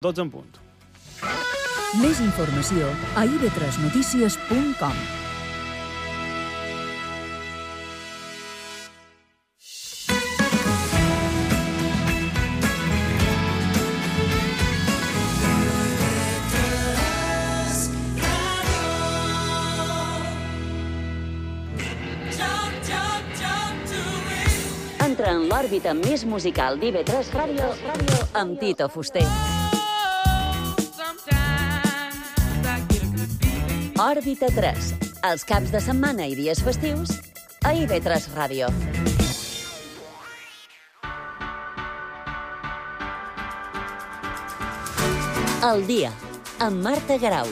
12 en punt. Més informació a ib3notícies.com. Entra en l'òrbita més musical d'IB3 Ràdio amb Tito Fuster. Òrbita 3, els caps de setmana i dies festius a IB3 Ràdio. El dia, amb Marta Garau.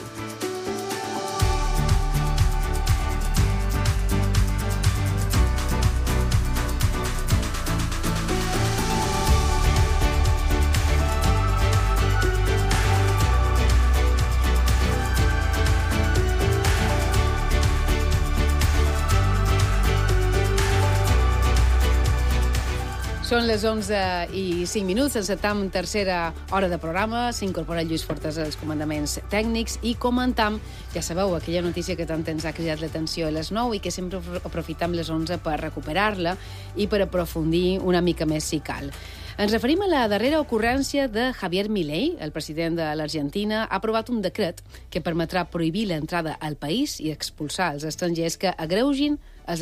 Són les 11 i 5 minuts, encetam tercera hora de programa, s'incorpora Lluís Fortes als comandaments tècnics i comentam, ja sabeu, aquella notícia que tant ens ha cridat l'atenció a les 9 i que sempre aprofitam les 11 per recuperar-la i per aprofundir una mica més si cal. Ens referim a la darrera ocurrència de Javier Milei. El president de l'Argentina ha aprovat un decret que permetrà prohibir l'entrada al país i expulsar els estrangers que agreugin els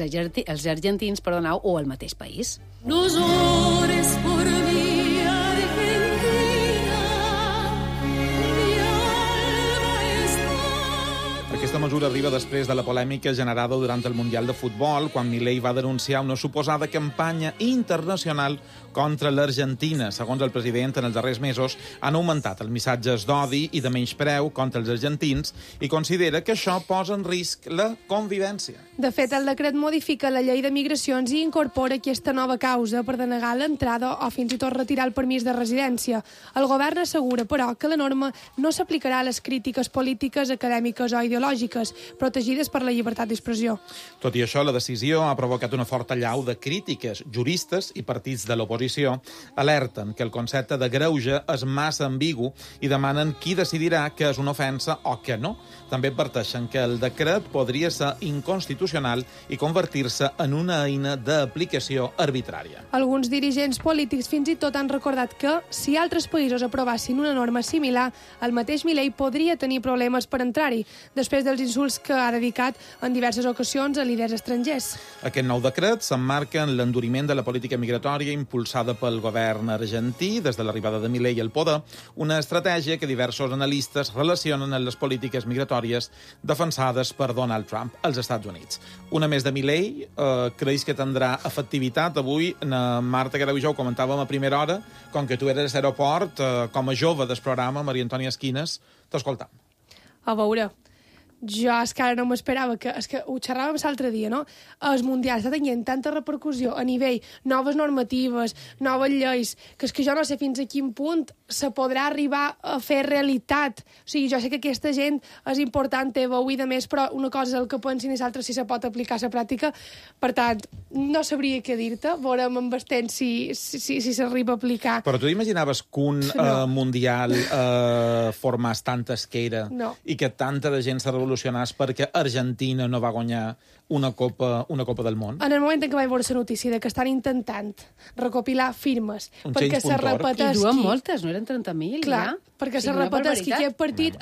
argentins o el mateix país. No llores por mí, Argentina, mi alma está... Aquesta mesura arriba després de la polèmica generada durant el Mundial de Futbol, quan Milei va denunciar una suposada campanya internacional contra l'Argentina. Segons el president, en els darrers mesos han augmentat els missatges d'odi i de menyspreu contra els argentins i considera que això posa en risc la convivència. De fet, el decret modifica la llei de migracions i incorpora aquesta nova causa per denegar l'entrada o fins i tot retirar el permís de residència. El govern assegura, però, que la norma no s'aplicarà a les crítiques polítiques, acadèmiques o ideològiques, protegides per la llibertat d'expressió. Tot i això, la decisió ha provocat una forta allau de crítiques. Juristes i partits de l'oposició alerten que el concepte de greuge és massa ambigu i demanen qui decidirà que és una ofensa o que no. També adverteixen que el decret podria ser inconstitucional i convertir-se en una eina d'aplicació arbitrària. Alguns dirigents polítics fins i tot han recordat que, si altres països aprovassin una norma similar, el mateix Milei podria tenir problemes per entrar-hi, després dels insults que ha dedicat en diverses ocasions a líders estrangers. Aquest nou decret s'emmarca en l'enduriment de la política migratòria impulsada pel govern argentí des de l'arribada de Milei al poder, una estratègia que diversos analistes relacionen amb les polítiques migratòries defensades per Donald Trump als Estats Units. Una més de Milei, creus que tindrà efectivitat? Avui, Marta Garau i jo ho comentàvem a primera hora, com que tu eres a l'aeroport, com a jove del programa, Maria Antònia Esquines, t'escoltam. A veure, jo és que ara no m'esperava, és que ho xerràvem l'altre dia, no? El Mundial està tenint tanta repercussió a nivell noves normatives, noves lleis, que és que jo no sé fins a quin punt se podrà arribar a fer realitat. O sigui, jo sé que aquesta gent és important, té veu i de més, però una cosa és el que pensin i l'altra si se pot aplicar a la pràctica. Per tant, no sabria què dir-te, veurem amb el temps si s'arriba a aplicar. Però tu imaginaves que un Mundial formés tanta esquera i que tanta de gent se revolucionés perquè Argentina no va guanyar una copa del món? En el moment en què vaig veure la notícia de que estan intentant recopilar firmes perquè se repetesqui... I duen moltes, no eren 30.000? Clar, ja? perquè se repetesqui aquest partit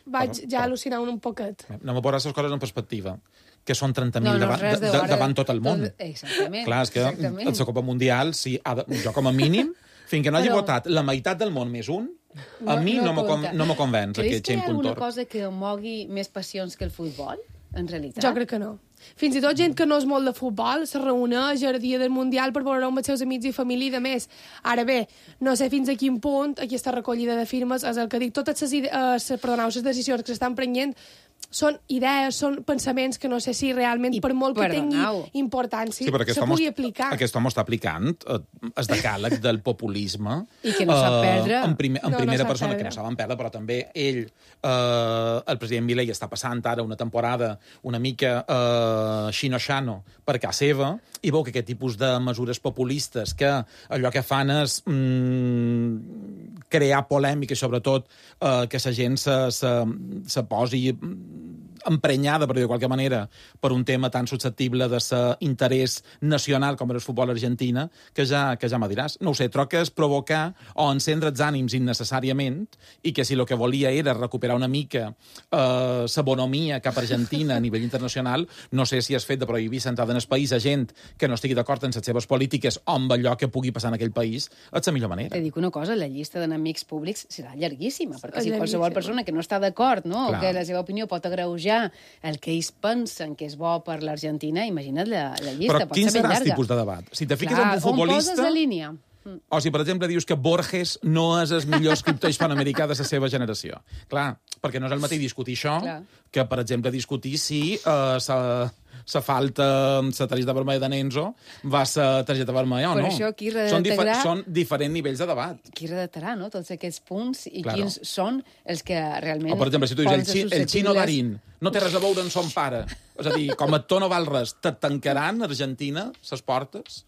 vaig ja al·lucinar un poquet. No me posaràs les coses en perspectiva, que són 30.000 davant tot el món. Exactament. Clar, és que la Copa Mundial, jo com a mínim, fins que no hagi votat la meitat del món més un, a mi no me convenç aquest Creus que hi ha alguna puntor. cosa que mogui més passions que el futbol, en realitat? Jo crec que no. Fins i tot gent que no és molt de futbol se reuneix el dia del Mundial per veure amb els seus amics i família i de més. Ara bé, no sé fins a quin punt aquesta recollida de firmes és el que dic. Totes les decisions que s'estan prenent són idees, són pensaments que no sé si realment, per molt que tingui importància, se pugui aplicar. Aquest home està aplicant el decàleg del populisme. I que no sap perdre. En primera persona, que no saben perdre, però també ell, el president Milei, està passant ara una temporada una mica xino-xano per casa seva, i veu que aquest tipus de mesures populistes que allò que fan és crear polèmica, sobretot que la gent se posi emprenyada, per dir de qualque manera, per un tema tan susceptible de l'interès nacional com era el futbol argentina, que ja me diràs. No ho sé, troc que és provocar o encendre els ànims innecessàriament, i que si el que volia era recuperar una mica la bonomia cap a Argentina a nivell internacional, no sé si has fet de prohibir l'entrada en el país a gent que no estigui d'acord en les seves polítiques o amb allò que pugui passar en aquell país, és la millor manera. Te dic una cosa, la llista d'enemics públics serà llarguíssima, perquè si qualsevol persona que no està d'acord, no? O que la seva opinió pot agreujar el que ells pensen que és bo per l'Argentina, imagina't la llista, però pot ser ben llarga. Però quin serà el tipus de debat? Si te fiques en un futbolista... On poses la línia? O si, per exemple, dius que Borges no és el millor escriptor hispanoamericà de la seva generació. Clar, perquè no és el mateix discutir això que, per exemple, discutir si la falta, la targeta vermella de Nenzo va ser targeta vermella o no. Per això aquí redactarà... Són diferents nivells de debat. Qui redactarà, no?, tots aquests punts i quins són els que realment... O, per exemple, si tu dius el Chino Darín no té res a veure amb son pare. És a dir, com a actor no val res, te tancaran a Argentina les portes?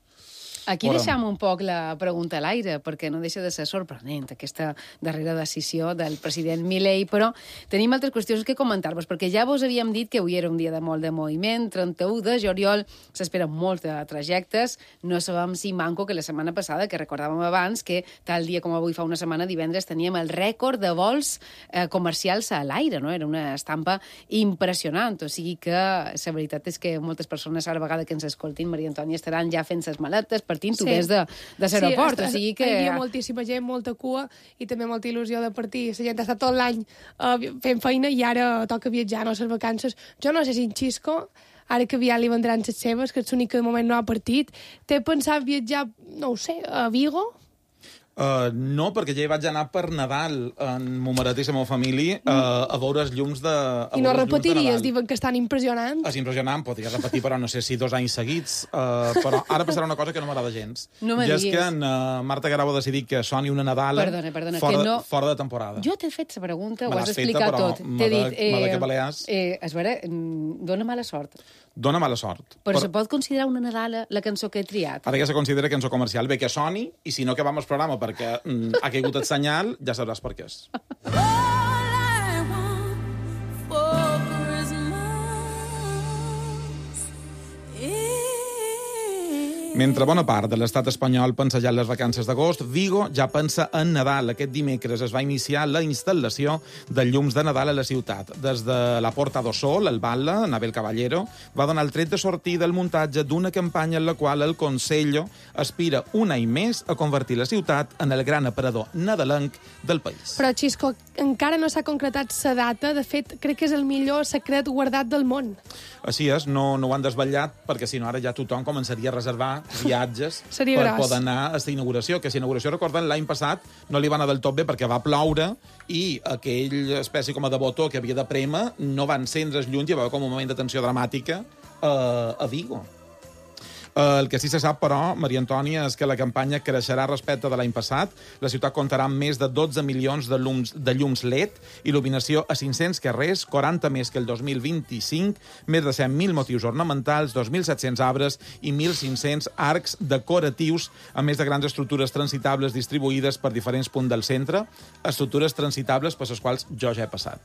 Aquí deixam un poc la pregunta a l'aire, perquè no deixa de ser sorprenent aquesta darrera decisió del president Milei, però tenim altres qüestions que comentar-vos, perquè ja vos havíem dit que avui era un dia de molt de moviment, 31 de juliol, s'esperen molts trajectes, no sabem si manco que la setmana passada, que recordàvem abans, que tal dia com avui fa una setmana, divendres, teníem el rècord de vols comercials a l'aire, no? Era una estampa impressionant, o sigui que la veritat és que moltes persones a la vegada que ens escoltin, Maria Antònia, estaran ja fent ses maletes, partint-ho des de l'aeroport. O sigui que... Hi havia moltíssima gent, molta cua, i també molta il·lusió de partir. La gent ha estat tot l'any fent feina i ara toca viatjar, no? Les vacances. Jo no sé si en Xisco, ara que aviat li vendran les seves, que és l'únic que de moment no ha partit, té pensat viatjar, no ho sé, a Vigo? No, perquè ja hi vaig anar per Nadal en mo marit i la meva família a veure els llums de Nadal. I no repetiries? Diuen que estan impressionants. És impressionant, podria repetir, però no sé si 2 anys seguits. Però ara passarà una cosa que no m'agrada gens. No me diguis. I és que en Marta Garau ha decidit que soni una Nadala fora de temporada. Jo t'he fet la pregunta, ho has explicat tot. T'he dit... És veure, dona mala sort. Dona mala sort. Però se pot considerar una Nadala la cançó que he triat? Ara ja se considera cançó comercial. Bé que soni, i si no que vam al programa perquè ha caigut el senyal, ja sabràs per què és. Mentre bona part de l'estat espanyol pensa ja en les vacances d'agost, Vigo ja pensa en Nadal. Aquest dimecres es va iniciar la instal·lació de llums de Nadal a la ciutat. Des de la Porta do Sol, el Batlle, Nabel Caballero, va donar el tret de sortir del muntatge d'una campanya en la qual el Consello aspira un any més a convertir la ciutat en el gran aparador nadalenc del país. Però, Xisco, encara no s'ha concretat la data. De fet, crec que és el millor secret guardat del món. Així és, no ho han desvetllat, perquè si no ara ja tothom començaria a reservar viatges per poder anar a aquesta inauguració, que si inauguració, recorden, l'any passat no li va anar del tot bé perquè va ploure i aquell espècie com de botó que havia de prémer no va encendre els llums i hi va haver com un moment de tensió dramàtica a Vigo. El que sí se sap, però, Maria Antònia, és que la campanya creixerà respecte de l'any passat. La ciutat comptarà amb més de 12 milions de llums LED, il·luminació a 500 carrers, 40 més que el 2025, més de 100.000 motius ornamentals, 2.700 arbres i 1.500 arcs decoratius, a més de grans estructures transitables distribuïdes per diferents punts del centre, estructures transitables per les quals jo ja he passat.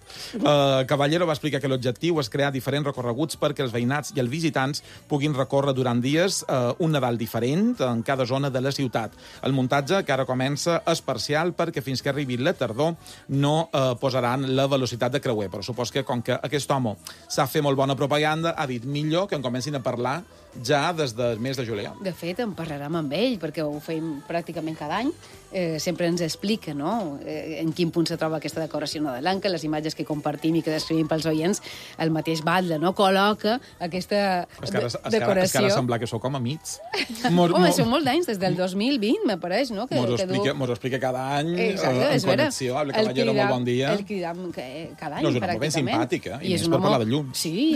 Caballero va explicar que l'objectiu és crear diferents recorreguts perquè els veïnats i els visitants puguin recórrer durant dies un Nadal diferent en cada zona de la ciutat. El muntatge, que ara comença, és parcial perquè fins que arribi la tardor no posaran la velocitat de creuer. Però supos que, com que aquest home sap fer molt bona propaganda, ha dit millor que en comencin a parlar ja des del mes de juliol. De fet, en parlarem amb ell, perquè ho fem pràcticament cada any, sempre ens explica, no?, en quin punt se troba aquesta decoració nadalenca, les imatges que compartim i que descrivim pels oients, el mateix Batlle, no?, col·loca aquesta decoració. És que ara sembla que sou com amics. Home, són molts d'anys, des del 2020, m'apareix, no? Mos ho explica cada any, Exacte, en connexió, habla que era molt bon dia. El cridam cada any, no, és una molt ben simpàtica, i més per parlar de llums. Sí,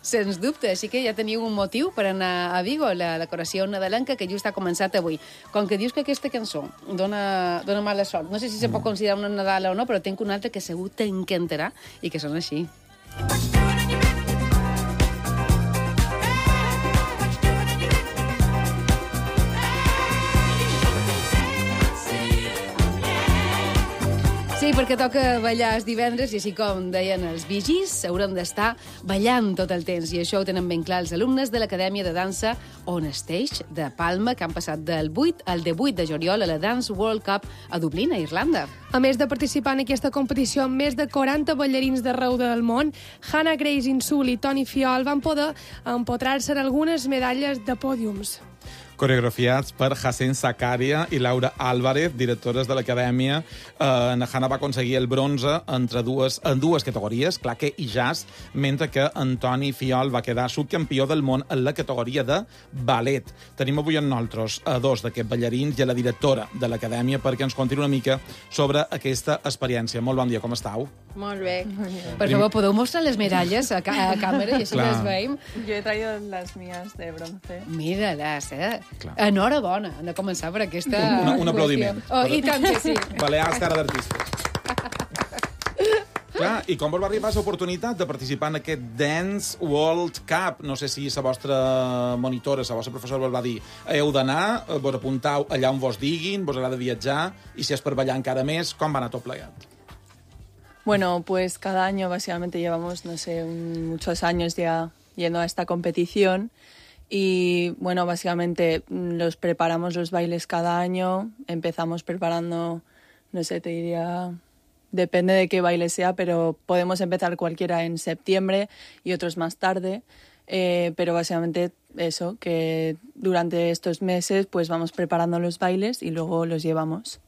sens dubte. Així que ja teniu un motiu per anar a Vigo, la decoració nadalenca, que just ha començat avui. Com que dius que aquesta cançó dona mala sort, no sé si se pot considerar una Nadala o no, però tinc una altra que segur t'encantarà i que són així. Sí, perquè toca ballar els divendres i així com deien els vigis, haurem d'estar ballant tot el temps i això ho tenen ben clar els alumnes de l'Acadèmia de Dansa On Stage de Palma, que han passat del 8 al 18 de juliol a la Dance World Cup a Dublín, a Irlanda. A més de participar en aquesta competició amb més de 40 ballarins d'arreu del món, Hannah Grace Insul i Toni Fiol van poder empotrar-se en algunes medalles de pòdiums. Coreografiats per Hacén Sakaria i Laura Álvarez, directores de l'Acadèmia. Hannah va aconseguir el bronze en dues categories, claqué i jazz, mentre que Antoni Fiol va quedar subcampió del món en la categoria de ballet. Tenim avui amb nosaltres a dos d'aquests ballarins i a la directora de l'Acadèmia perquè ens contin una mica sobre aquesta experiència. Molt bon dia, com estàu? Molt bé. Per favor, podeu mostrar les medalles a càmera i així les veiem? Jo he traído las mías de bronce. Mira-les, Enhorabona, hem de començar per aquesta... Un aplaudiment. I tant que sí. Balears, cara d'artistes. Clar, i com vos va arribar l'oportunitat de participar en aquest Dance World Cup? No sé si la vostra monitora, la vostra professora vos va dir heu d'anar, vos apuntau allà on vos diguin, vos agrada viatjar, i si és per ballar encara més, com va anar tot plegat? Bueno, pues cada año básicamente llevamos, no sé, muchos años ya yendo a esta competición. Y bueno, básicamente preparamos los bailes cada año, empezamos preparando, no sé, te diría, depende de qué baile sea, pero podemos empezar cualquiera en septiembre y otros más tarde, pero básicamente eso, que durante estos meses pues vamos preparando los bailes y luego los llevamos.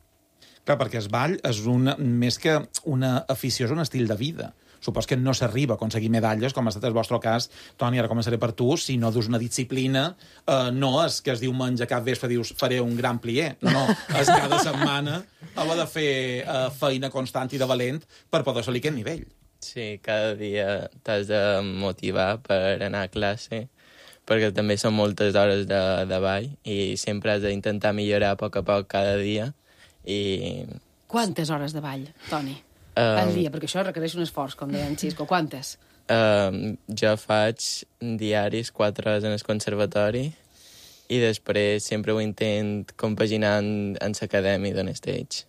Clar, perquè el ball és més que una afició, és un estil de vida. Supos que no s'arriba a aconseguir medalles, com ha estat el vostre cas. Toni, ara començaré per tu. Si no dus una disciplina, no és que es diumenge cap vespre dius faré un gran plié. No, és cada setmana heu de fer feina constant i de valent per poder assolir aquest nivell. Sí, cada dia t'has de motivar per anar a classe, perquè també són moltes hores de ball i sempre has d'intentar millorar a poc cada dia. Quantes hores de ball, Toni? Al dia, perquè això requereix un esforç, com deia en Xisco. Quantes? Jo faig diaris 4 hores en el conservatori i després sempre ho intent compaginar en l'acadèmia d'On Stage.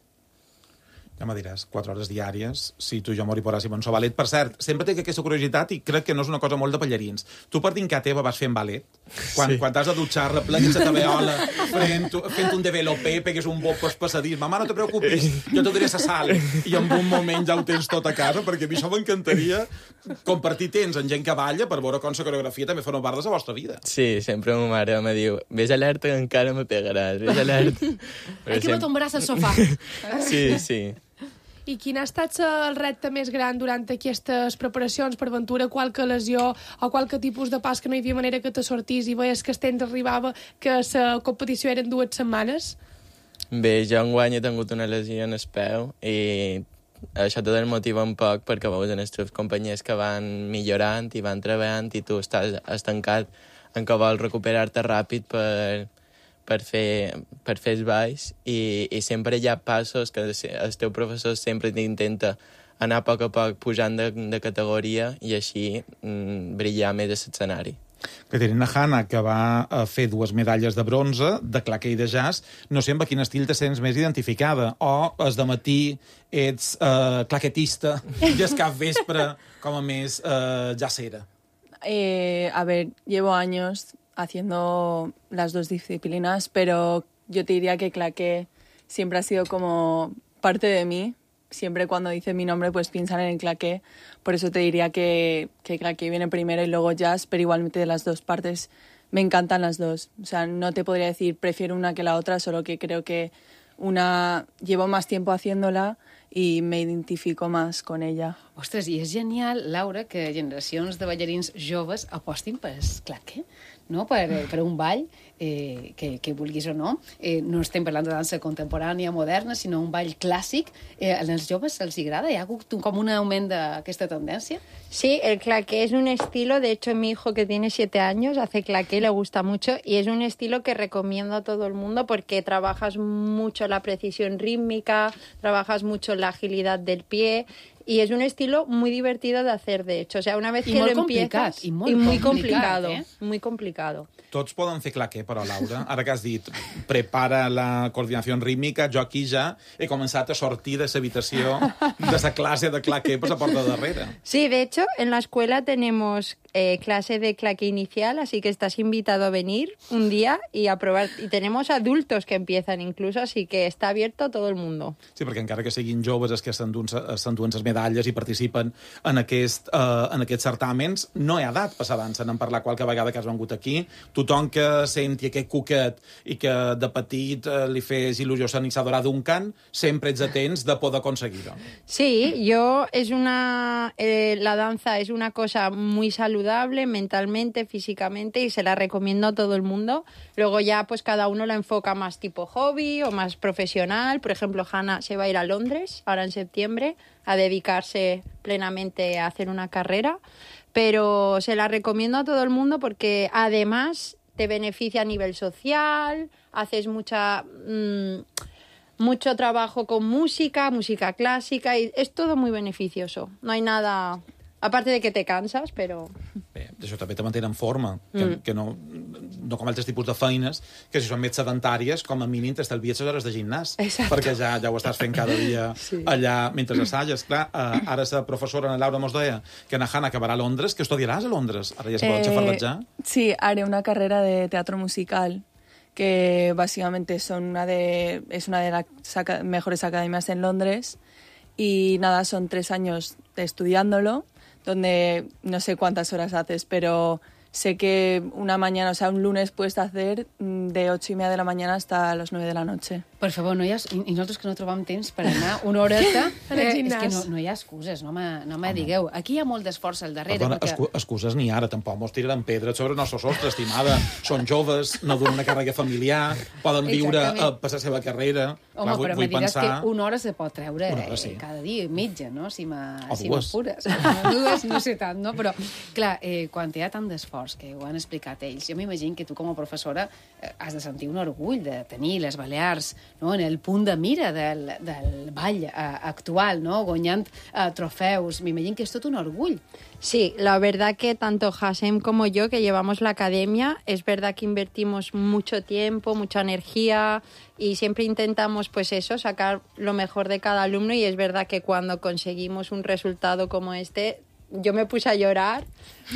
Ja me diràs, 4 hores diàries, si tu i jo mori poràssim en so ballet. Per cert, sempre tinc aquesta curiositat i crec que no és una cosa molt de ballarins. Tu per dincar teva vas fent ballet? Quan t'has de dutxar, replegues la taveola, fent un developé, pegues un bop pels passadís. Mama, no te preocupis, jo te diré la sal. I en un moment ja ho tens tot a casa, perquè a mi això m'encantaria compartir temps amb gent que balla per veure com la coreografia també fa una part de la vostra vida. Sí, sempre ma mare me diu ves alerta que encara me pegaràs, ves alerta. Aquí me tombaràs al sofà. Sí. I quin ha estat el repte més gran durant aquestes preparacions per ventura? Qualque lesió o qualque tipus de pas que no hi havia manera que te sortís i veies que el temps arribava, que la competició eren 2 setmanes? Bé, jo enguany he tingut una lesió en el peu i això te desmotiva un poc perquè veus en els teus companys que van millorant i van treballant i tu estàs estancat en què vols recuperar-te ràpid per fer els balls i sempre hi ha passos que el teu professor sempre t'intenta anar a poc pujant de categoria i així brillar més a l'escenari. Caterina Hanna, que va fer 2 medalles de bronze, de claqué i de jazz, no sé amb quin estil te sents més identificada. O es de matí ets claquetista i es cap vespre com a més jazzera. A ver, llevo años haciendo las 2 disciplinas, pero yo te diría que claqué siempre ha sido como parte de mí. Siempre cuando dice mi nombre pues piensan en el claqué. Por eso te diría que claqué viene primero y luego jazz, pero igualmente de las 2 partes me encantan las 2. O sea, no te podría decir prefiero una que la otra, solo que creo que llevo más tiempo haciéndola y me identifico más con ella. Ostres, i és genial, Laura, que generacions de ballarins joves apostin per el claqué, no? per un ball, que vulguis o no. No estem parlant de dansa contemporània, moderna, sinó un ball clàssic. Als joves se'ls agrada? Hi ha hagut com un augment d'aquesta tendència? Sí, el claqué es un estilo, de hecho mi hijo que tiene 7 años hace claqué, le gusta mucho y es un estilo que recomiendo a todo el mundo porque trabajas mucho la precisión rítmica, trabajas mucho la agilidad del pie y es un estilo muy divertido de hacer, de hecho. O sea, una vez que lo empiezas... I muy complicado. Muy complicado. Tots poden fer claqué, però, Laura, ara que has dit prepara la coordinació rítmica, jo aquí ja he començat a sortir de l'habitació de la clase de claqué per la porta darrere. Sí, de hecho, en la escuela tenemos clase de claqué inicial, así que estás invitado a venir un día y a probar. Y tenemos adultos que empiezan incluso, así que está abierto a todo el mundo. Sí, perquè encara que siguin joves els que s'enduen les medalles i participen en aquests certàmens, no hi ha edat per la dansa. N'hem parlat qualque vegada que has vengut aquí. Tothom que senti aquest cuquet i que de petit li fes il·lusió s'iniciar d'un cant, sempre ets atents de poder aconseguir-ho. Sí, la danza es una cosa muy saludable mentalmente, físicamente, y se la recomiendo a todo el mundo. Luego ya pues cada uno la enfoca más tipo hobby o más profesional. Por ejemplo, Hannah se va a ir a Londres ahora en septiembre a dedicarse plenamente a hacer una carrera, pero se la recomiendo a todo el mundo porque además te beneficia a nivel social, haces mucho trabajo con música clásica, y es todo muy beneficioso. No hay nada... Aparte de que te cansas, però... Bé, això també te mantén en forma, que no com altres tipus de feines, que si són més sedentàries, com a mínim t'estalvies les hores de gimnàs. Exacte. Perquè ja ho estàs fent cada dia allà mentre assalles. Clar, ara la professora Laura mos deia que na Hannah acabarà a Londres, que estudiaràs a Londres. Ara ja se pot xafardatjar. Sí, haré una carrera de teatro musical que básicamente es una de las mejores academias en Londres y nada, son 3 años estudiándolo, donde no sé cuántas horas haces, pero sé que una mañana, o sea, un lunes puedes hacer de 8:30 de la mañana hasta las 9 de la noche. Per favor, i nosaltres que no trobam temps per anar una horeta, és que no hi ha excuses, no me digueu. Aquí hi ha molt d'esforç al darrere. Perdona, perquè... excuses ni ara, tampoc mos tiraran pedres sobre el nostre sostre, estimada. Són joves, no duen una càrrega familiar, poden viure per la seva carrera. Home, però me diràs pensar... que una hora se pot treure sí. cada dia, mitja, no? Si dues. m'apures. Dues, no sé tant, no? Però, clar, quan hi ha tant d'esforç, que ho han explicat ells, jo m'imagino que tu com a professora has de sentir un orgull de tenir les Balears, no?, en el punt de mira del ball actual, no?, guanyant trofeus. M'imagino que és tot un orgull. Sí, la verdad que tanto Hassem como yo, que llevamos la academia, es verdad que invertimos mucho tiempo, mucha energía y siempre intentamos, pues eso, sacar lo mejor de cada alumno, y es verdad que cuando conseguimos un resultado como este, yo me puse a llorar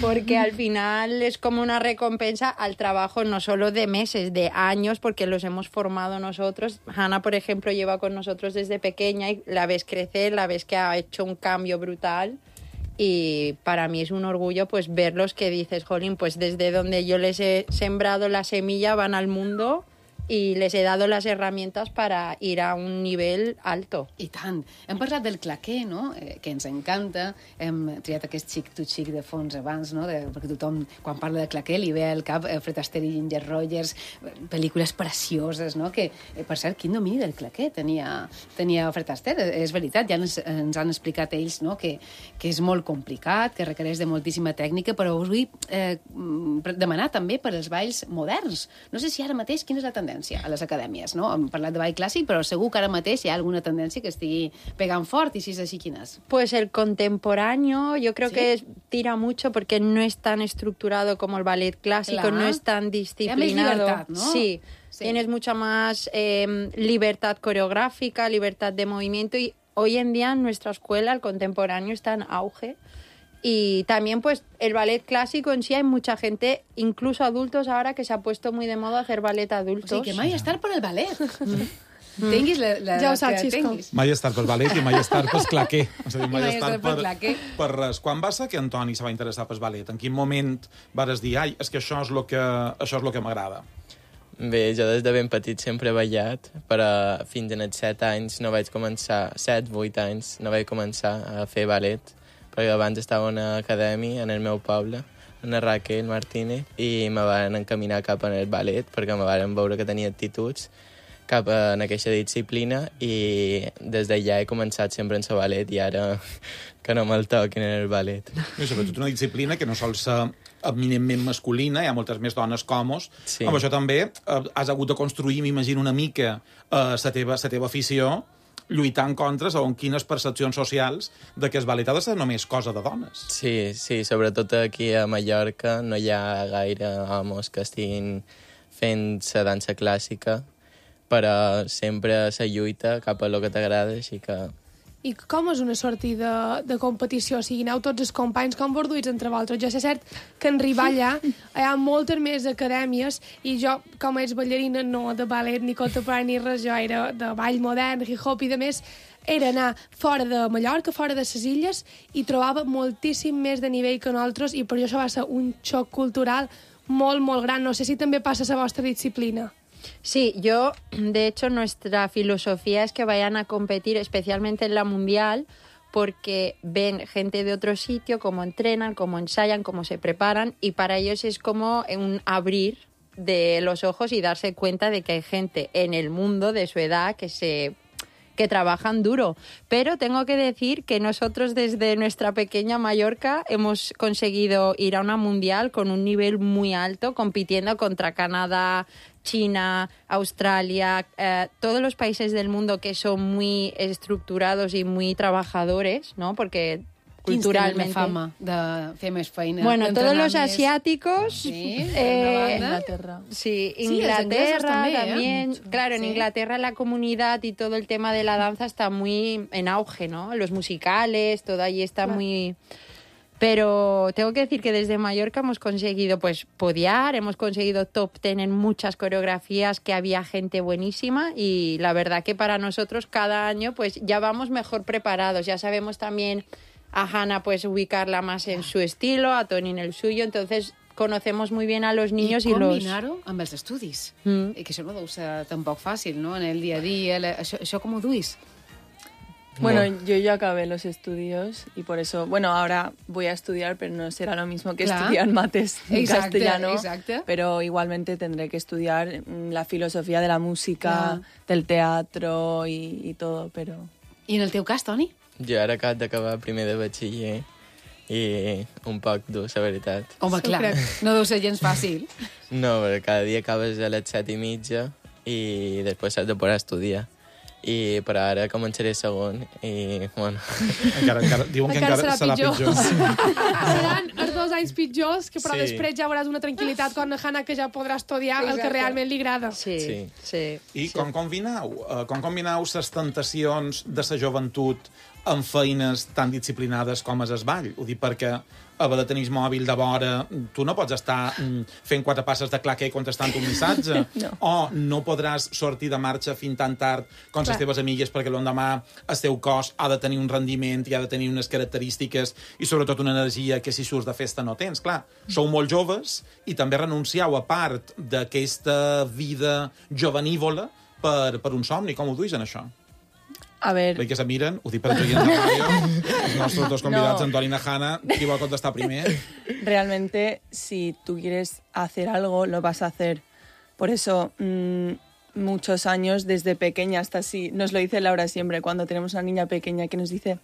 porque al final es como una recompensa al trabajo no solo de meses, de años, porque los hemos formado nosotros. Hannah, por ejemplo, lleva con nosotros desde pequeña y la ves crecer, la ves que ha hecho un cambio brutal. Y para mí es un orgullo pues verlos, que dices, jolín, pues desde donde yo les he sembrado la semilla van al mundo i les he dado las herramientas para ir a un nivell alto. I tant. Hem parlat del claqué, no?, que ens encanta. Hem triat aquest xic-to-xic de fons abans, no?, perquè tothom, quan parla de claqué, li ve al cap Fred Astaire i Ginger Rogers, pel·lícules precioses, no?, que, per cert, quin domini del claqué tenia Fred Astaire. És veritat, ja ens han explicat ells, no?, que és molt complicat, que requereix de moltíssima tècnica, però us vull demanar també per als balls moderns. No sé si ara mateix quina és la tendència a les acadèmies, no? Hem parlat de ball clàssic, però segur que ara mateix hi ha alguna tendència que estigui pegant fort, i si és així, quines? Pues el contemporáneo yo creo que tira mucho porque no es tan estructurado como el ballet clásico, no es tan disciplinado. Hay más libertad, ¿no? Sí, tienes mucha más libertad coreográfica, libertad de movimiento, y hoy en día en nuestra escuela el contemporáneo está en auge. Y también, pues, el ballet clásico en sí, hay mucha gente, incluso adultos ahora, que se ha puesto muy de moda hacer ballet adultos. O sigui, que mai estar per el ballet. Tinguis la ja ho saps, que Xisco. tinguis. Mai estar pel ballet i mai estar pel claqué. És a dir, mai estar pel claqué. per res. Quan va ser que Antoni se va interessar pel ballet? En quin moment vares dir, ai, és que això és el que m'agrada? Bé, jo des de ben petit sempre he ballat, però fins als 7 anys no vaig començar, 7-8 anys no vaig començar a fer ballet, perquè abans estava a una acadèmia en el meu poble, una Raquel Martínez, i me van encaminar cap al ballet, perquè me van veure que tenia actituds cap a aquesta disciplina, i des d'allà he començat sempre en el ballet, i ara que no me'l toquin en el ballet. I sobretot una disciplina que no sol ser eminentment masculina, hi ha moltes més dones comos. Sí. Amb això també has hagut de construir, m'imagino, una mica la teva afició, lluitant contra segons quines percepcions socials de que el ballet ha de ser només cosa de dones. Sí, sobretot aquí a Mallorca no hi ha gaire homes que estiguin fent la dansa clàssica, però sempre se lluita cap a lo que t'agrada, així que... I com és una sortida de competició? O sigui, aneu tots els companys com borduïts entre vosaltres. Jo sé cert que en arribar allà hi ha moltes més acadèmies i jo, com és ballarina, no de ballet ni contemporani ni res, jo era de ball modern, hip-hop i de més, era anar fora de Mallorca, fora de les illes, i trobava moltíssim més de nivell que nosaltres, i per això va ser un xoc cultural molt, molt gran. No sé si també passa a la vostra disciplina. Sí, de hecho, nuestra filosofía es que vayan a competir, especialmente en la mundial, porque ven gente de otro sitio, cómo entrenan, cómo ensayan, cómo se preparan, y para ellos es como un abrir de los ojos y darse cuenta de que hay gente en el mundo de su edad que trabajan duro. Pero tengo que decir que nosotros desde nuestra pequeña Mallorca hemos conseguido ir a una mundial con un nivel muy alto, compitiendo contra Canadá, China, Australia, todos los países del mundo que son muy estructurados y muy trabajadores, ¿no? Porque culturalmente... Quins tenen la fama de fer més feina? Bueno, todos los asiáticos... Sí, Inglaterra. Sí, Sí, los ingleses también. también, Claro, en Sí. Inglaterra la comunidad y todo el tema de la danza está muy en auge, ¿no? Los musicales, todo allí está muy... Pero tengo que decir que desde Mallorca hemos conseguido pues podiar, hemos conseguido top 10 en muchas coreografías, que había gente buenísima, y la verdad que para nosotros cada año pues ya vamos mejor preparados, ya sabemos también a Hannah pues ubicarla más en su estilo, a Toni en el suyo, entonces conocemos muy bien a los niños I y los... combinar-ho amb els estudis. Que això no deu ser tampoc fàcil, no? En el dia a dia, això com ho duis? Bueno, yo ya acabé los estudios y por eso, bueno, ahora voy a estudiar, pero no será lo mismo que estudiar mates en castellano. Exacte. Pero igualmente tendré que estudiar la filosofía de la música, del teatro y todo, pero... I en el teu cas, Toni? Jo ara acabo d'acabar primer de batxiller i un poc dur, la veritat. Home, clar, no deu ser gens fàcil. No, perquè cada dia acabes a les 7:30 i després has de poder estudiar. Però ara començaré segon i, bueno... Encara, diuen que encara serà pitjor. Seran els 2 anys pitjors, que però Sí. després ja veuràs una tranquil·litat quan Hannah, que ja podrà estudiar el que realment li agrada. Sí. I com combineu les tentacions de la joventut amb feines tan disciplinades com és el ball? Ho dic perquè haver de tenir el mòbil de vora, tu no pots estar fent 4 passes de claquer contestant un missatge, o no podràs sortir de marxa fins tan tard com les teves amigues, perquè l'endemà el teu cos ha de tenir un rendiment i ha de tenir unes característiques i sobretot una energia que si surts de festa no tens. Clar, sou molt joves i també renuncieu a part d'aquesta vida jovenívola per un somni. Com ho duis en això? A ver... Veig que se miren, ho dic per els oients de ràdio, els nostres dos convidats, Antoni i Hannah, qui vol contestar primer? Realmente, si tú quieres hacer algo, lo vas a hacer. Por eso, muchos años, desde pequeña hasta así, nos lo dice Laura siempre, cuando tenemos una niña pequeña que nos dice,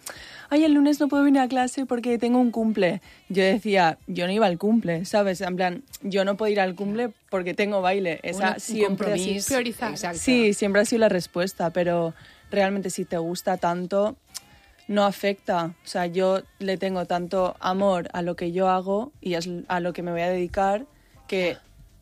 ay, el lunes no puedo venir a clase porque tengo un cumple. Yo decía, yo no iba al cumple, ¿sabes? En plan, yo no puedo ir al cumple porque tengo baile. Esa siempre ha sido... Priorizar. Sí, siempre ha sido la respuesta, pero realmente si te gusta tanto, no afecta. O sea, yo le tengo tanto amor a lo que yo hago y a lo que me voy a dedicar que...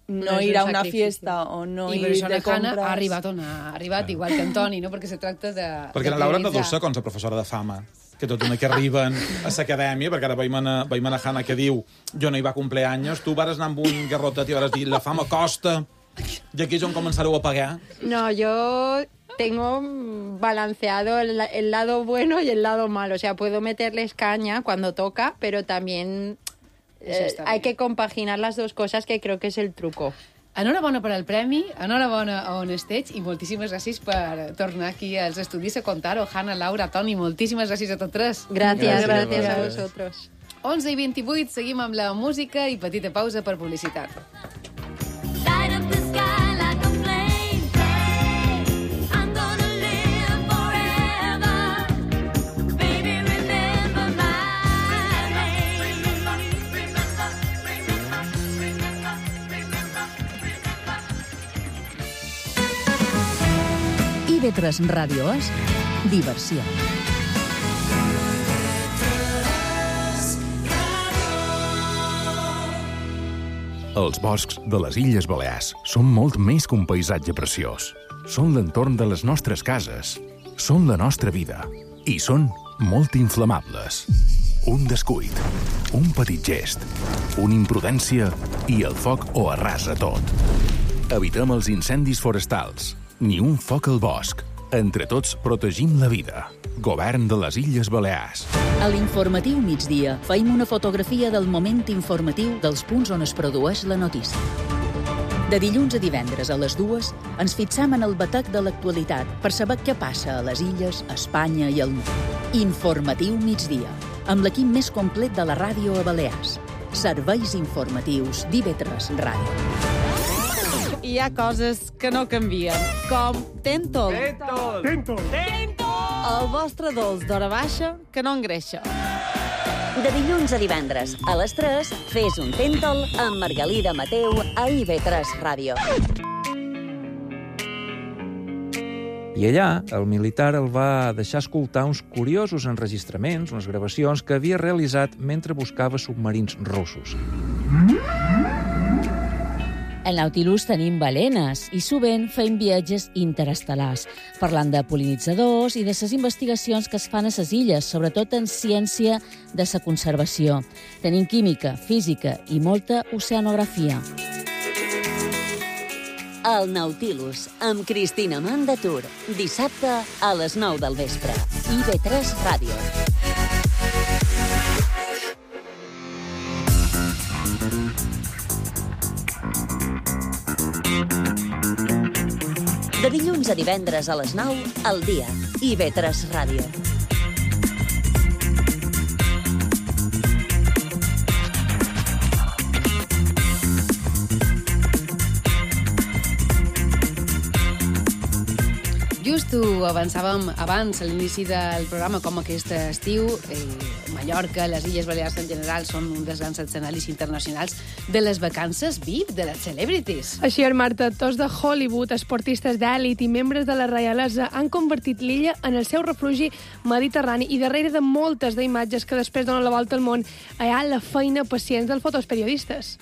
no ir a una fiesta o no ir de compras... ha arribat on ha arribat, igual que Antoni, no? Perquè se tracta de... Perquè la Laura no deu ser com la professora de fama, que tot una que arriben a l'acadèmia, perquè ara veiem a Hannah que diu jo no hi va cumpleaños, tu vas anar amb un garrotet i vas dir la fama costa, i aquí és on començareu a pagar. No, yo tengo balanceado el lado bueno y el lado malo. O sea, puedo meterles caña cuando toca, pero también hay que compaginar las dos cosas, que creo que es el truco. Enhorabona per al premi, enhorabona a on estiguis i moltíssimes gràcies per tornar aquí als estudis a contar-ho. Hanna, Laura, Toni, moltíssimes gràcies a tots tres. Gràcies a vosotros. 11:28, seguim amb la música i petita pausa per publicitat. Light up the sky like a flame. I'm gonna live forever. Baby, remember my name. IB3 Ràdio és diversió. Els boscs de les Illes Balears són molt més que un paisatge preciós. Són l'entorn de les nostres cases, són la nostra vida i són molt inflamables. Un descuit, un petit gest, una imprudència i el foc ho arrasa tot. Evitem els incendis forestals, ni un foc al bosc. Entre tots protegim la vida. Govern de les Illes Balears. A l'informatiu migdia feim una fotografia del moment informatiu dels punts on es produeix la notícia. De dilluns a divendres a les 2 ens fixam en el batec de l'actualitat per saber què passa a les illes, a Espanya i al món. Informatiu migdia, amb l'equip més complet de la ràdio a Balears. Serveis informatius d'IB3 Ràdio. Hi ha coses que no canvien, com Tentol. El vostre dolç d'hora baixa que no engreixa. De dilluns a divendres, a les 3, fes un Tentol amb Margalida Mateu a IB3 Ràdio. I allà, el militar el va deixar escoltar uns curiosos enregistraments, unes gravacions que havia realitzat mentre buscava submarins russos. Al Nautilus tenim balenes i sovint fem viatges interestel·lars, parlant de pol·linitzadors i de les investigacions que es fan a les illes, sobretot en ciència de la conservació. Tenim química, física i molta oceanografia. El Nautilus, amb Cristina Mandatur. Dissabte a les 9 del vespre. IB3 Ràdio. De dilluns a divendres a les 9, al dia. IB3 Ràdio. Just ho avançàvem abans, a l'inici del programa, com aquest estiu, Mallorca, les Illes Balears en general, són un dels grans escenaris internacionals de les vacances VIP, de les celebrities. Així és, Marta, actors de Hollywood, esportistes d'èlit i membres de la reialesa han convertit l'illa en el seu refugi mediterrani i darrere de moltes d'imatges que després donen la volta al món hi ha la feina pacient dels fotoperiodistes.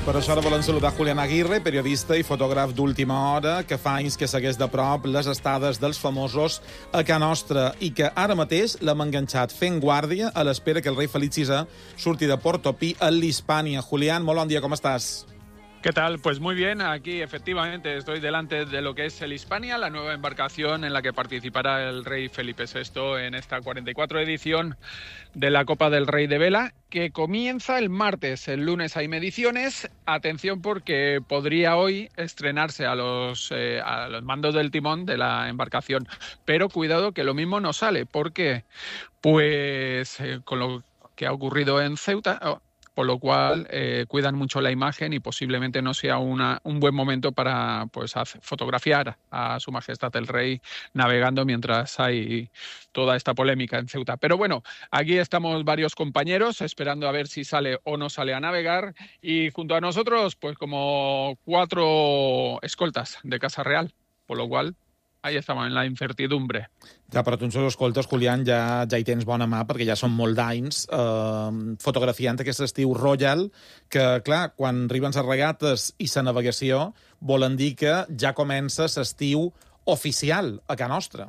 Per això ara volem saludar Julián Aguirre, periodista i fotògraf d'última hora, que fa anys que segueix de prop les estades dels famosos a Can Nostra i que ara mateix l'hem enganxat fent guàrdia a l'espera que el rei Felip VI surti de Portopí a l'Hispània. Julián, molt bon dia, com estàs? ¿Qué tal? Pues muy bien, aquí efectivamente estoy delante de lo que es el Hispania, la nueva embarcación en la que participará el rey Felipe VI en esta 44 edición de la Copa del Rey de Vela, que comienza el martes. El lunes hay mediciones. Atención, porque podría hoy estrenarse a los mandos del timón de la embarcación. Pero cuidado que lo mismo no sale. ¿Por qué? Pues con lo que ha ocurrido en Ceuta... Por lo cual cuidan mucho la imagen y posiblemente no sea un buen momento para fotografiar a Su Majestad el Rey navegando mientras hay toda esta polémica en Ceuta. Pero bueno, aquí estamos varios compañeros esperando a ver si sale o no sale a navegar y junto a nosotros pues como 4 escoltas de Casa Real, por lo cual ahí estamos en la incertidumbre. Ja, però tu ens escoltes, Julián, ja hi tens bona mà, perquè ja són molt d'anys fotografiant aquest estiu Royal, que, clar, quan arriben les regates i la navegació, volen dir que ja comença l'estiu oficial a Can Nostra.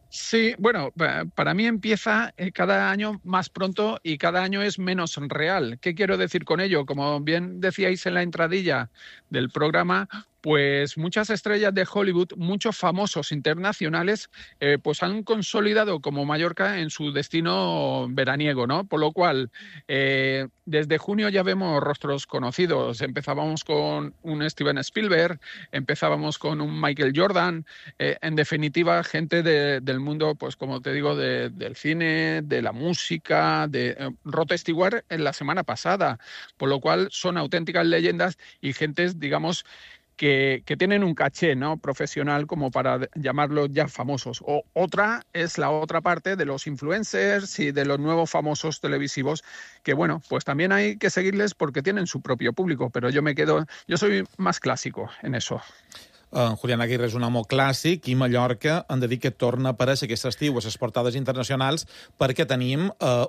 Sí, bueno, para mí empieza cada año más pronto y cada año es menos real. ¿Qué quiero decir con ello? Como bien decíais en la entradilla del programa, pues muchas estrellas de Hollywood, muchos famosos internacionales, pues han consolidado como Mallorca en su destino veraniego, ¿no? Por lo cual, desde junio ya vemos rostros conocidos. Empezábamos con un Steven Spielberg, empezábamos con un Michael Jordan, en definitiva, gente del mundo, pues como te digo, del cine, de la música, de Rod Stewart en la semana pasada, por lo cual son auténticas leyendas y gentes, digamos, que tienen un caché, ¿no?, profesional como para llamarlos ya famosos. O otra es la otra parte de los influencers y de los nuevos famosos televisivos, que bueno, pues también hay que seguirles porque tienen su propio público, pero yo soy más clásico en eso. Julián Aguirre és un home clàssic i Mallorca hem de dir que torna a aparèixer aquest estiu a les portades internacionals perquè tenim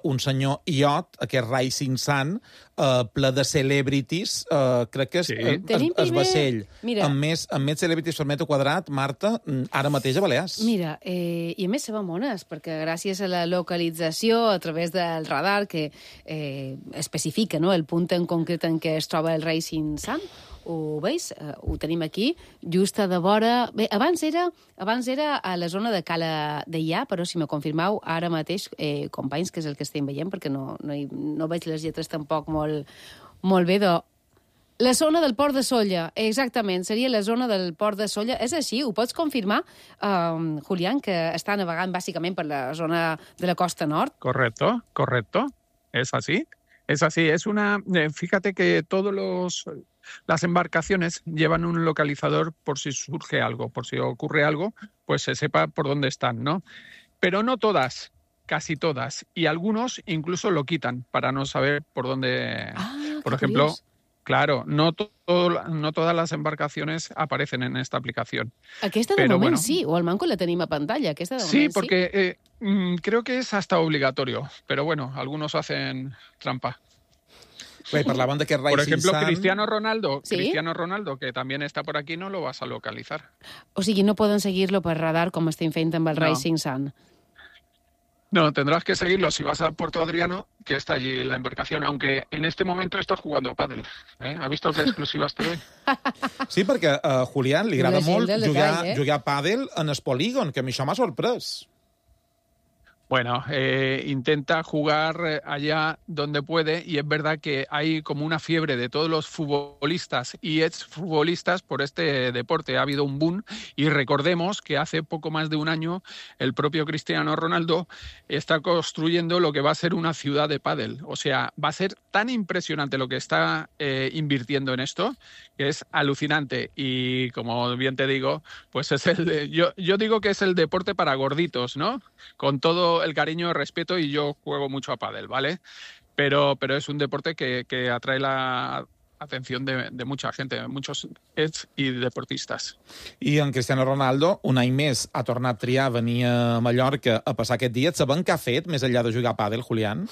un senyor iot, aquest Rising Sun, ple de celebrities, crec que és el vaixell amb més celebrities per metre quadrat, Marta, ara mateix a Balears. Mira, i a més se va mones, perquè gràcies a la localització a través del radar que especifica, no?, el punt en concret en què es troba el Rising Sun, ho veus? Ho tenim aquí, just a de vora... Bé, abans era a la zona de Cala Deià, però si me confirmeu ara mateix, companys, que és el que estem veient, perquè no veig les lletres tampoc molt bé, la zona del Port de Sóller, exactament, seria la zona del Port de Sóller. És així, ho pots confirmar, Julián, que està navegant bàsicament per la zona de la costa nord? Correcto, es así. Es así, fíjate que las embarcaciones llevan un localizador por si surge algo, por si ocurre algo, pues se sepa por dónde están, ¿no? Pero no todas, casi todas, y algunos incluso lo quitan para no saber por dónde. Por ejemplo, curioso. Claro, no todas las embarcaciones aparecen en esta aplicación. Aquesta de moment sí, o al manco la tenim a pantalla. Aquesta de moment sí, porque creo que es hasta obligatorio, pero bueno, algunos hacen trampa. Bé, parlaven de que Por ejemplo, Sun... Cristiano Ronaldo, ¿Sí? Cristiano Ronaldo, que también está por aquí, no lo vas a localizar. O sigui, no poden seguir-lo per radar com estem fent amb el No. Rising Sun. No, tendrás que seguirlo si vas a Puerto Adriano, que está allí la embarcación, aunque en este momento estás jugando pádel. ¿Has visto qué exclusivas te doy? Sí, perquè a Julián li agrada La gent molt del detall, jugar a pàdel en el polígon, que a mi això m'ha sorprès. Bueno, intenta jugar allá donde puede y es verdad que hay como una fiebre de todos los futbolistas y exfutbolistas por este deporte. Ha habido un boom y recordemos que hace poco más de un año el propio Cristiano Ronaldo está construyendo lo que va a ser una ciudad de pádel. O sea, va a ser tan impresionante lo que está invirtiendo en esto que es alucinante y como bien te digo, pues es yo digo que es el deporte para gorditos, ¿no? Con todo el cariño y respeto, y yo juego mucho a pádel, ¿vale? Pero es un deporte que atrae la atención de mucha gente, muchos ex y deportistas. I en Cristiano Ronaldo, un any més, ha tornat a triar venir a Mallorca a passar aquest dia. Sabem què ha fet, més enllà de jugar a pàdel, Julián?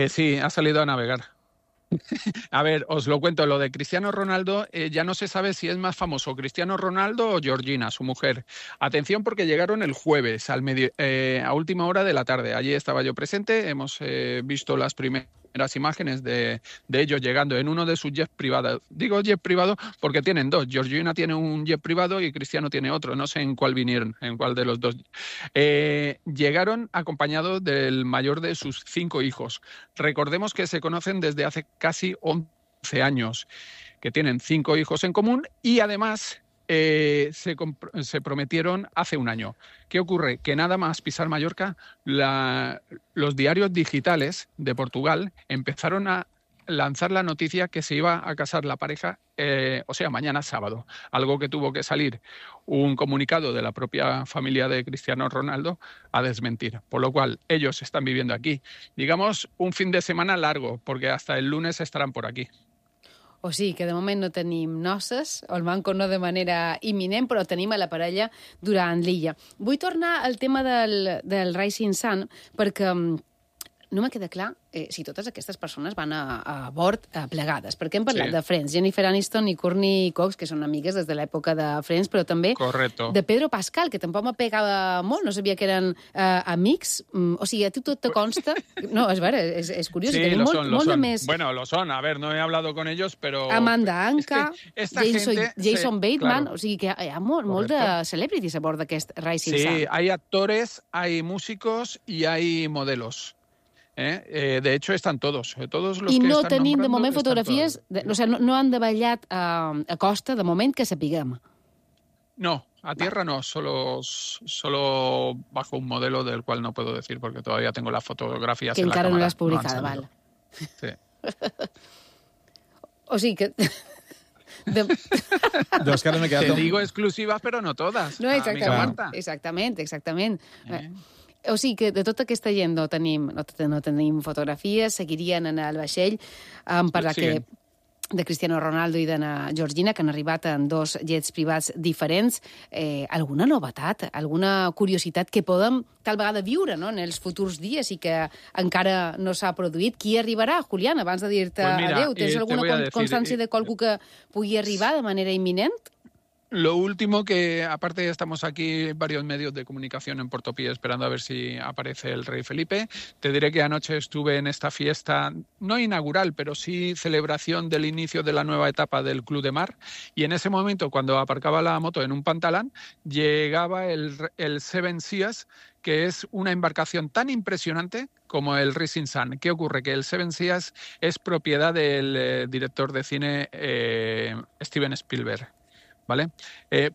Sí, ha salido a navegar. A ver, os lo cuento, lo de Cristiano Ronaldo, ya no se sabe si es más famoso Cristiano Ronaldo o Georgina, su mujer. Atención porque llegaron el jueves a última hora de la tarde. Allí estaba yo presente, hemos visto las primeras imágenes de ellos llegando en uno de sus jets privados. Digo jet privado porque tienen dos. Georgina tiene un jet privado y Cristiano tiene otro. No sé en cuál vinieron, en cuál de los dos. Llegaron acompañados del mayor de sus 5 hijos. Recordemos que se conocen desde hace casi 11 años, que tienen 5 hijos en común y además se prometieron hace un año. ¿Qué ocurre? Que nada más pisar Mallorca, los diarios digitales de Portugal empezaron a lanzar la noticia que se iba a casar la pareja, o sea, mañana sábado, algo que tuvo que salir un comunicado de la propia familia de Cristiano Ronaldo a desmentir, por lo cual ellos están viviendo aquí. Digamos, un fin de semana largo, porque hasta el lunes estarán por aquí. O sigui que de moment no tenim noces, o el manco no de manera imminent, però tenim a la parella durant l'illa. Vull tornar al tema del Rising Sun, perquè no me queda clar si totes aquestes persones van a bord plegades, perquè hem parlat Sí. de Friends, Jennifer Aniston i Courtney Cox, que són amigues des de l'època de Friends, però també Correcto. de Pedro Pascal, que tampoc me pegava molt, no sabia que eren amics, o sigui, a tu tot te consta... No, és vera, és curiós, Sí, i tenim lo molt, son, lo molt de son. més... Bueno, lo son. A ver, no he hablado con ellos, pero... Amanda Anka, Es que esta Jason gente Bateman, claro. o sigui que hi ha molt de celebrities a bord d'aquest Rising Sí, Sun. hay actores, hay músicos y hay modelos. De hecho, están todos los I que no están tenim de nombrando moment están fotografies, o sigui, no han de ballat a costa, de moment, que sapiguem. todos. No, a tierra no, solo bajo un modelo del cual no puedo decir porque todavía tengo las fotografías Que en la encara no cámara. l'has publicada, han val. salido. Sí. O sigui que... Jo és que ara m'he quedat... Te digo exclusivas, pero no todas. No, amiga Marta. exactament. O sigui que de tota aquesta gent no tenim fotografies, seguirien en el vaixell. Hem parlat Siguen. de Cristiano Ronaldo i de Georgina, que han arribat en 2 jets privats diferents. Alguna novetat, alguna curiositat que podem tal vegada viure, no?, en els futurs dies i que encara no s'ha produït? Qui arribarà, Julián, abans de dir-te Pues mira, adéu? Tens te alguna voy a decir, constància de qualcú que pugui arribar de manera imminent? Lo último que, aparte estamos aquí varios medios de comunicación en Portopí esperando a ver si aparece el rey Felipe, te diré que anoche estuve en esta fiesta, no inaugural, pero sí celebración del inicio de la nueva etapa del Club de Mar, y en ese momento, cuando aparcaba la moto en un pantalán, llegaba el Seven Seas, que es una embarcación tan impresionante como el Rising Sun. ¿Qué ocurre? Que el Seven Seas es propiedad del director de cine Steven Spielberg. ¿Vale?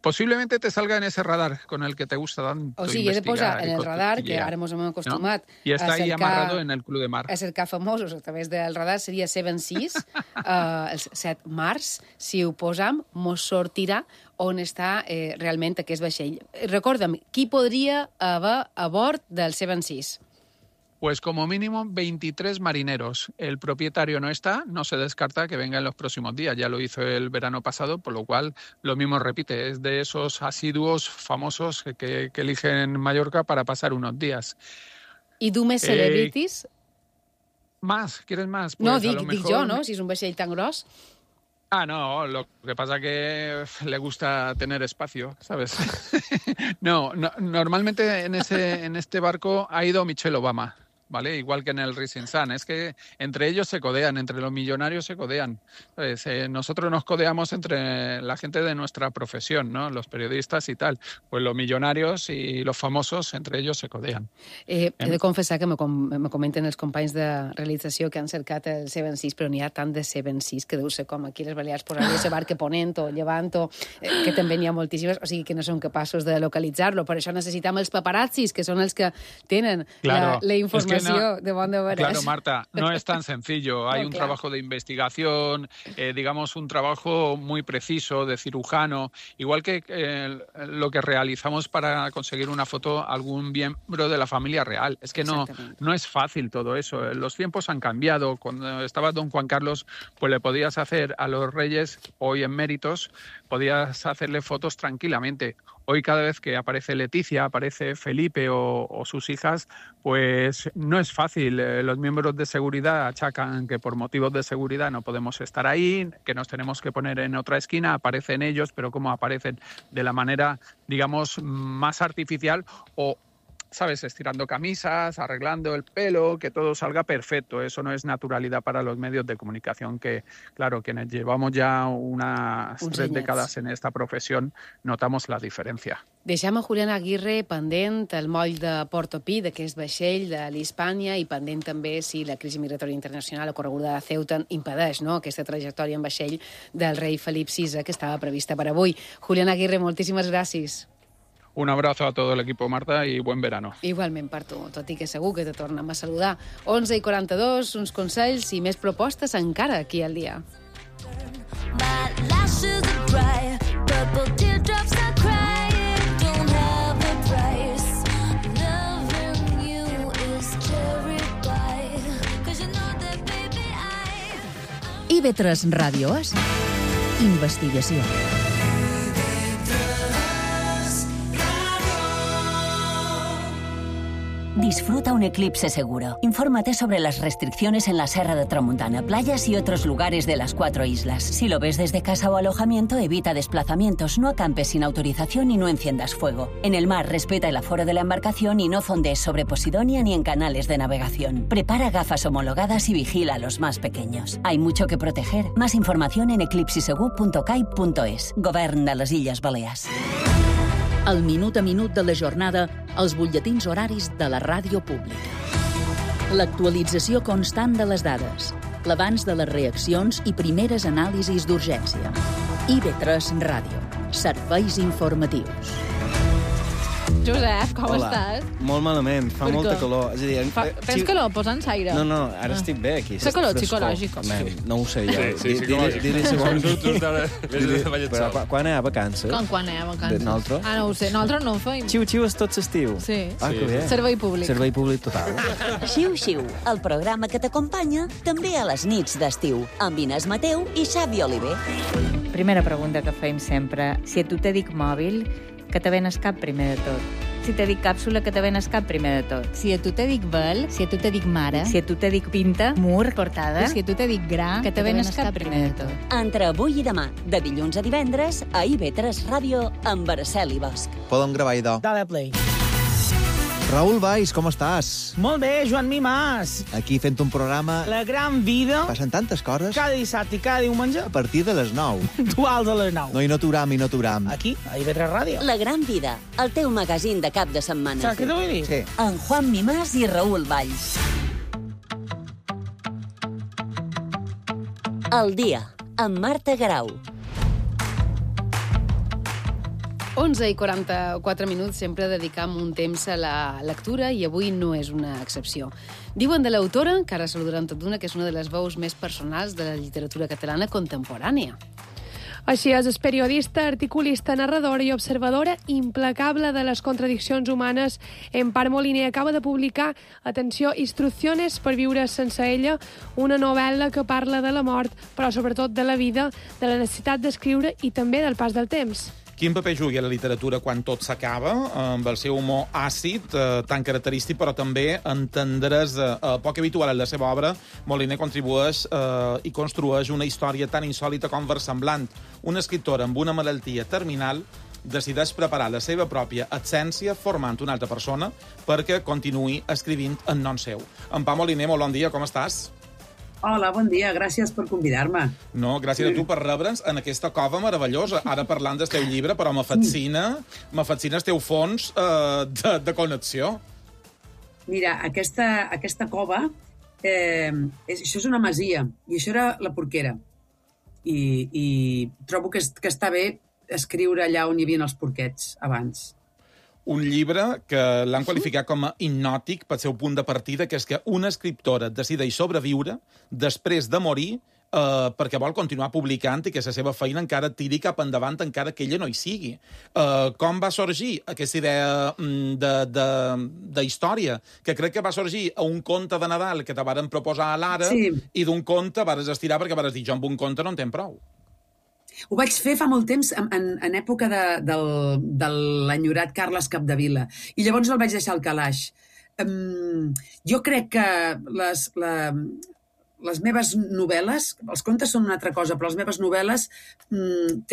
Posiblemente te salga en ese radar con el que te gusta tanto O sigui, he de posar investigar en y el radar, que cotillear, ara ens hem acostumat ¿no? Y está a ahí cercar, amarrado en el Club de Mar. a cercar famosos a través del radar, seria Seven Seas, els 7 mars. Si ho posam, mos sortirà on està realment aquest vaixell. Recorda'm, qui podria haver a bord del Seven Seas? Pues como mínimo 23 marineros. El propietario no está, no se descarta que venga en los próximos días. Ya lo hizo el verano pasado, por lo cual lo mismo repite. Es de esos asiduos famosos que eligen Mallorca para pasar unos días. I du més celebrities? ¿Más? ¿Quieres más? Pues No, a dic lo mejor... jo, no? Si és un vaixell tan gros. Ah, no, lo que pasa que le gusta tener espacio, ¿sabes? No, normalmente en este barco ha ido Michelle Obama, ¿vale? Igual que en el Rising Sun. Es que entre ellos se codean, entre los millonarios se codean. ¿Sabes? Nosotros nos codeamos entre la gente de nuestra profesión, ¿no? Los periodistas y tal. Pues los millonarios y los famosos, entre ellos se codean. He de confessar que me comenten els companys de realització que han cercat el Seven Seas, però n'hi ha tant de Seven Seas que deu ser com aquí les Balears posaria ese barque ponent o llevant, que també n'hi ha moltíssimes, o sigui que no són capaços de localitzar-lo. Per això necessitam els paparazzis, que són els que tenen Claro, la informació es que no, de bon de veres. Claro, Marta, no es tan sencillo. Hay No, un claro. trabajo de investigación, digamos un trabajo muy preciso de cirujano, igual que lo que realizamos para conseguir una foto a algún miembro de la familia real. Es que no es fácil todo eso. Los tiempos han cambiado. Cuando estaba don Juan Carlos, pues le podías hacer a los reyes, hoy en méritos, podías hacerle fotos tranquilamente. Hoy cada vez que aparece Leticia, aparece Felipe o sus hijas, pues no es fácil. Los miembros de seguridad achacan que por motivos de seguridad no podemos estar ahí, que nos tenemos que poner en otra esquina, aparecen ellos, pero como aparecen de la manera, digamos, más artificial o, ¿sabes?, estirando camisas, arreglando el pelo, que todo salga perfecto. Eso no es naturalidad para los medios de comunicación que, claro, quienes llevamos ya unas 3 décadas en esta profesión, notamos la diferencia. Deixem a Julián Aguirre pendent el moll de Portopí, d'aquest vaixell de l'Hispània, i pendent també si la crisi migratòria internacional ocorreguda a Ceuta impedeix, no?, aquesta trajectòria en vaixell del rei Felip VI, que estava prevista per avui. Julián Aguirre, moltíssimes gràcies. Un abrazo a todo el equipo, Marta, y buen verano. Igualment per tu, tot i que segur que te tornem a saludar. 11:42, uns consells i més propostes encara aquí al dia. My lashes are dry, purple teardrops are crying, don't have a price. Loving you is cherry pie, 'cause you know that baby IB3 Ràdio és investigació. Disfruta un eclipse seguro. Infórmate sobre las restricciones en la Serra de Tramuntana, playas y otros lugares de las 4 islas. Si lo ves desde casa o alojamiento, evita desplazamientos, no acampes sin autorización y no enciendas fuego. En el mar, respeta el aforo de la embarcación y no fondees sobre Posidonia ni en canales de navegación. Prepara gafas homologadas y vigila a los más pequeños. Hay mucho que proteger. Más información en eclipsisegur.cai.es. Govern de les Illes Balears. El minut a minut de la jornada, els butlletins horaris de la ràdio pública. L'actualització constant de les dades, l'abans de les reaccions i primeres anàlisis d'urgència. IB3 Ràdio. Serveis informatius. Josep, com Hola. estàs? Molt malament, fa Per molta què? calor. És a dir, Tens calor? Posa'ns aire. No, ara estic bé aquí. És calor Frescor. psicològic. No ho sé jo. Sí, psicològic. Però quan hi ha vacances? Quan hi ha vacances? Nosaltres? No ho sé. Nosaltres no ho feim. Xiu-xiu és tot l'estiu. Sí. Que bé. Servei públic. Servei públic total. Xiu-xiu, el programa que t'acompanya també a les nits d'estiu, amb Inés Mateu i Xavi Oliver. Primera pregunta que fem sempre. Si a tu te dic mòbil, que te ven cap primer de tot? Si te dic càpsula, que te ven cap primer de tot? Si a tu te dic vel, si a tu te dic mare, Si a tu te dic pinta, mur, portada, si a tu te dic gra, que te ven cap primer de tot? Entre avui i demà, de dilluns a divendres, a IB3 Ràdio, amb Araceli Bosch. Podem gravar idò. Dale play. Raül Valls, com estàs? Molt bé, Joan Mimàs. Aquí fent un programa... La gran vida. Passen tantes coses. Cada dissabte i cada diumenge. A partir de les 9. Duals a les 9. No, i no t'uram. Aquí, a IB3 Ràdio. La gran vida, el teu magazín de cap de setmana. Saps què t'ho vull dir? Sí. En Juan Mimàs i Raül Valls. El dia, amb Marta Garau. 11 i 44 minuts, sempre dedicam un temps a la lectura i avui no és una excepció. Diuen de l'autora, que ara saludaran tot d'una, que és una de les veus més personals de la literatura catalana contemporània. Així és periodista, articulista, narradora i observadora implacable de les contradiccions humanes. Empar Moliner acaba de publicar, atenció, Instrucciones per viure sense ella, una novel·la que parla de la mort, però sobretot de la vida, de la necessitat d'escriure i també del pas del temps. Quin paper juga a la literatura quan tot s'acaba, amb el seu humor àcid, tan característic, però també entendre's poc habitual en la seva obra. Moliner contribueix i construeix una història tan insòlita com versemblant. Una escriptora amb una malaltia terminal decideix preparar la seva pròpia absència formant una altra persona perquè continuï escrivint en nom seu. Empar Moliner, molt bon dia, com estàs? Hola, bon dia, gràcies per convidar-me. No, gràcies a tu per rebre'ns en aquesta cova meravellosa. Ara parlant del teu llibre, però me fascina el teu fons de connexió. Mira, aquesta cova, això és una masia, i això era la Porquera. I trobo que està bé escriure allà on hi havia els porquets abans. Un llibre que l'han qualificat com a hipnòtic pel seu punt de partida, que és que una escriptora decideix sobreviure després de morir perquè vol continuar publicant i que la seva feina encara tiri cap endavant encara que ella no hi sigui. Com va sorgir aquesta idea d'història? Que crec que va sorgir a un conte de Nadal que te varen proposar a l'Ara i d'un conte vares estirar perquè vares dir jo amb un conte no en tenc prou. Ho vaig fer fa molt temps, en època de l'enyorat Carles Capdevila, i llavors el vaig deixar al calaix. Jo crec que les meves novel·les, els contes són una altra cosa, però les meves novel·les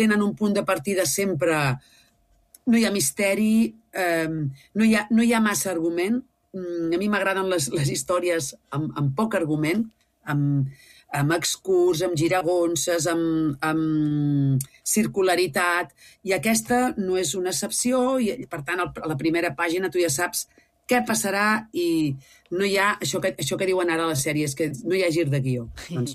tenen un punt de partida sempre... No hi ha misteri, no hi ha massa argument. A mi m'agraden les històries amb poc argument, amb excurs, amb giragonses, amb circularitat, i aquesta no és una excepció, i per tant, a la primera pàgina tu ja saps què passarà i no hi ha això que diuen ara a les sèries, que no hi ha gir de guió. Doncs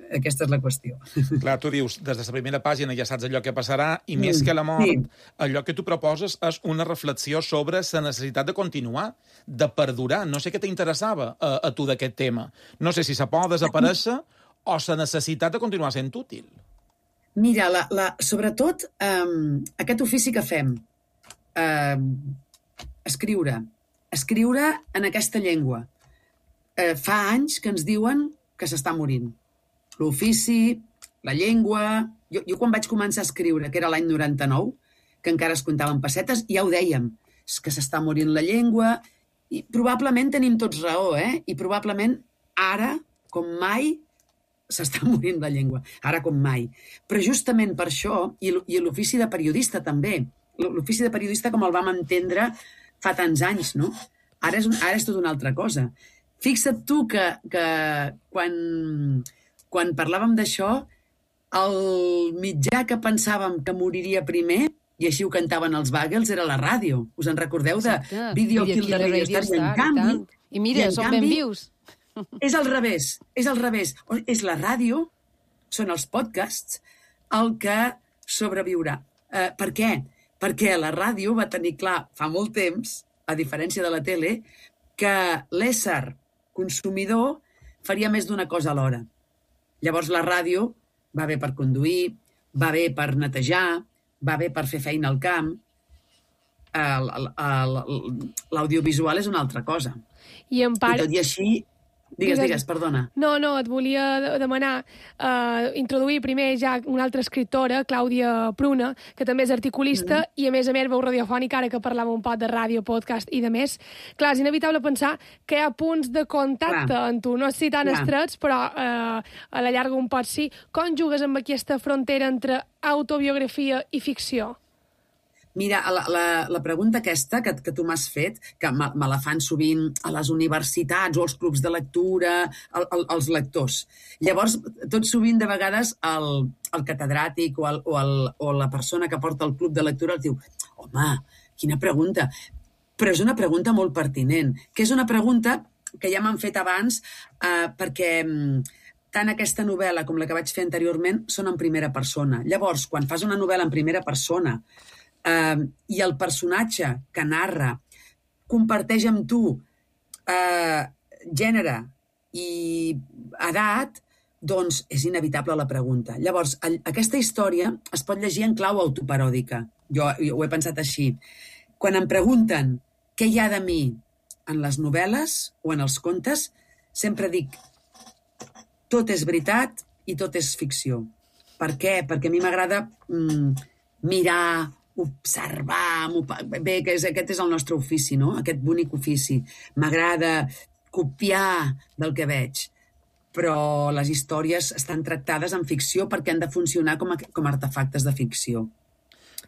aquesta és la qüestió. Clar, tu dius, des de la primera pàgina ja saps allò que passarà, i més que la mort, allò que tu proposes és una reflexió sobre la necessitat de continuar, de perdurar. No sé què t'interessava a tu d'aquest tema. No sé si se pot desaparèixer o la necessitat de continuar sent útil. Mira, sobretot aquest ofici que fem, escriure en aquesta llengua. Fa anys que ens diuen que s'està morint. L'ofici, la llengua... Jo quan vaig començar a escriure, que era l'any 99, que encara es comptaven pessetes, ja ho dèiem, és que s'està morint la llengua, I probablement tenim tots raó, I probablement ara, com mai, s'està morint la llengua. Ara com mai. Però justament per això, i l'ofici de periodista també, l'ofici de periodista com el vam entendre fa tants anys, no? Ara és tot una altra cosa. Fixa't tu que quan parlàvem d'això, el mitjà que pensàvem que moriria primer, i així ho cantaven els Bagels, era la ràdio. Us en recordeu de Video Kill the Radio Star? I en canvi... I mira, són ben vius. És al revés. És la ràdio, són els podcasts, el que sobreviurà. Per què? Perquè la ràdio va tenir clar fa molt temps, a diferència de la tele, que l'ésser consumidor faria més d'una cosa alhora. Llavors la ràdio va bé per conduir, va bé per netejar, va bé per fer feina al camp. L'audiovisual és una altra cosa. I tot i així... Digues, perdona. No, et volia demanar, introduir primer ja una altra escriptora, Clàudia Pruna, que també és articulista i a més veu radiofònica, ara que parlàvem un poc de ràdio, podcast i de més. Clar, és inevitable pensar que hi ha punts de contacte en tu, no sé si tan estrets, però a la llarga un pot sí. Com jugues amb aquesta frontera entre autobiografia i ficció? Mira, la pregunta aquesta que tu m'has fet, que me la fan sovint a les universitats o als clubs de lectura, els lectors. Llavors, tot sovint, de vegades, el catedràtic o la persona que porta el club de lectura els diu home, quina pregunta. Però és una pregunta molt pertinent, que és una pregunta que ja m'han fet abans perquè tant aquesta novel·la com la que vaig fer anteriorment són en primera persona. Llavors, quan fas una novel·la en primera persona i el personatge que narra comparteix amb tu gènere i edat, doncs és inevitable la pregunta. Llavors, aquesta història es pot llegir en clau autoparòdica. Jo ho he pensat així. Quan em pregunten què hi ha de mi en les novel·les o en els contes, sempre dic tot és veritat i tot és ficció. Per què? Perquè a mi m'agrada mirar, observar... Bé, aquest és el nostre ofici, no? Aquest bonic ofici. M'agrada copiar del que veig. Però les històries estan tractades en ficció perquè han de funcionar com artefactes de ficció.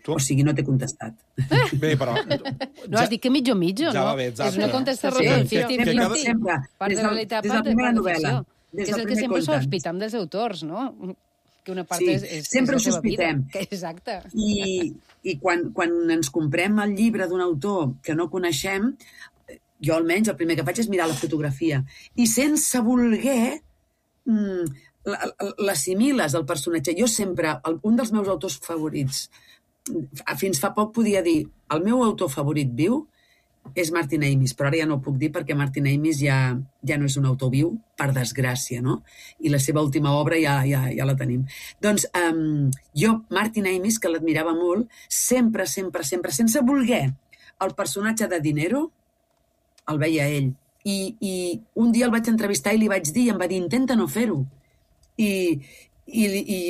O sigui, no t'he contestat. Bé, però... No, has dit que mitjo, no? Ja va bé, exacte. És una contestació. Sempre. Part de la realitat, part de la ficció. Que és el que sempre sospitem dels autors, no? Que una part és sempre la seva vida. Exacte. Exacte. I quan ens comprem el llibre d'un autor que no coneixem, jo almenys el primer que faig és mirar la fotografia. I sense voler l'assimiles al personatge. Jo sempre, un dels meus autors favorits, fins fa poc podia dir el meu autor favorit viu és Martin Amis, però ara ja no ho puc dir perquè Martin Amis ja no és un autor viu, per desgràcia, no? I la seva última obra ja la tenim. Doncs jo, Martin Amis, que l'admirava molt, sempre, sense voler, el personatge de Dinero el veia ell. I un dia el vaig entrevistar i li vaig dir, i em va dir, intenta no fer-ho. I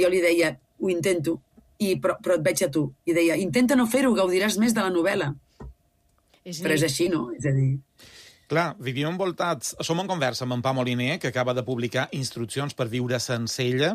jo li deia, ho intento, però et veig a tu. I deia, intenta no fer-ho, gaudiràs més de la novel·la. Però és així, no? És a dir... Clar, vivim envoltats... Som en conversa amb en Pau Moliner, que acaba de publicar Instruccions per viure sense ella,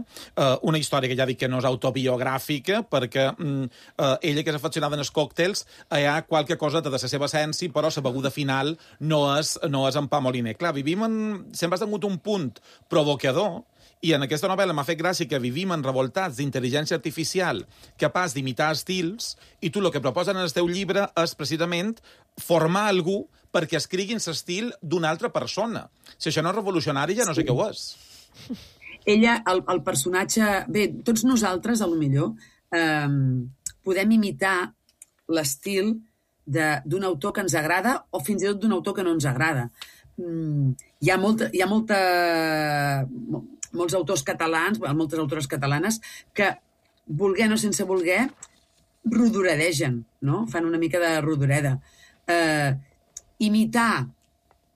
una història que ja dic que no és autobiogràfica, perquè ella, que és aficionada en els còctels, hi ha qualque cosa de la seva essència, però la beguda final no és en Pau Moliner. Clar, sempre has tingut un punt provocador, i en aquesta novel·la m'ha fet gràcia que vivim enrevoltats d'intel·ligència artificial capaç d'imitar estils, i tu el que proposen en el teu llibre és precisament formar algú perquè escriguin l'estil d'una altra persona. Si això no és revolucionari, ja no sé què ho és. Ella, el personatge... Bé, tots nosaltres, a lo millor, podem imitar l'estil d'un autor que ens agrada o fins i tot d'un autor que no ens agrada. Hi ha molts autors catalans, moltes autores catalanes, que, volguer o sense voler, rodoredegen, no? Fan una mica de rodoreda. Imitar,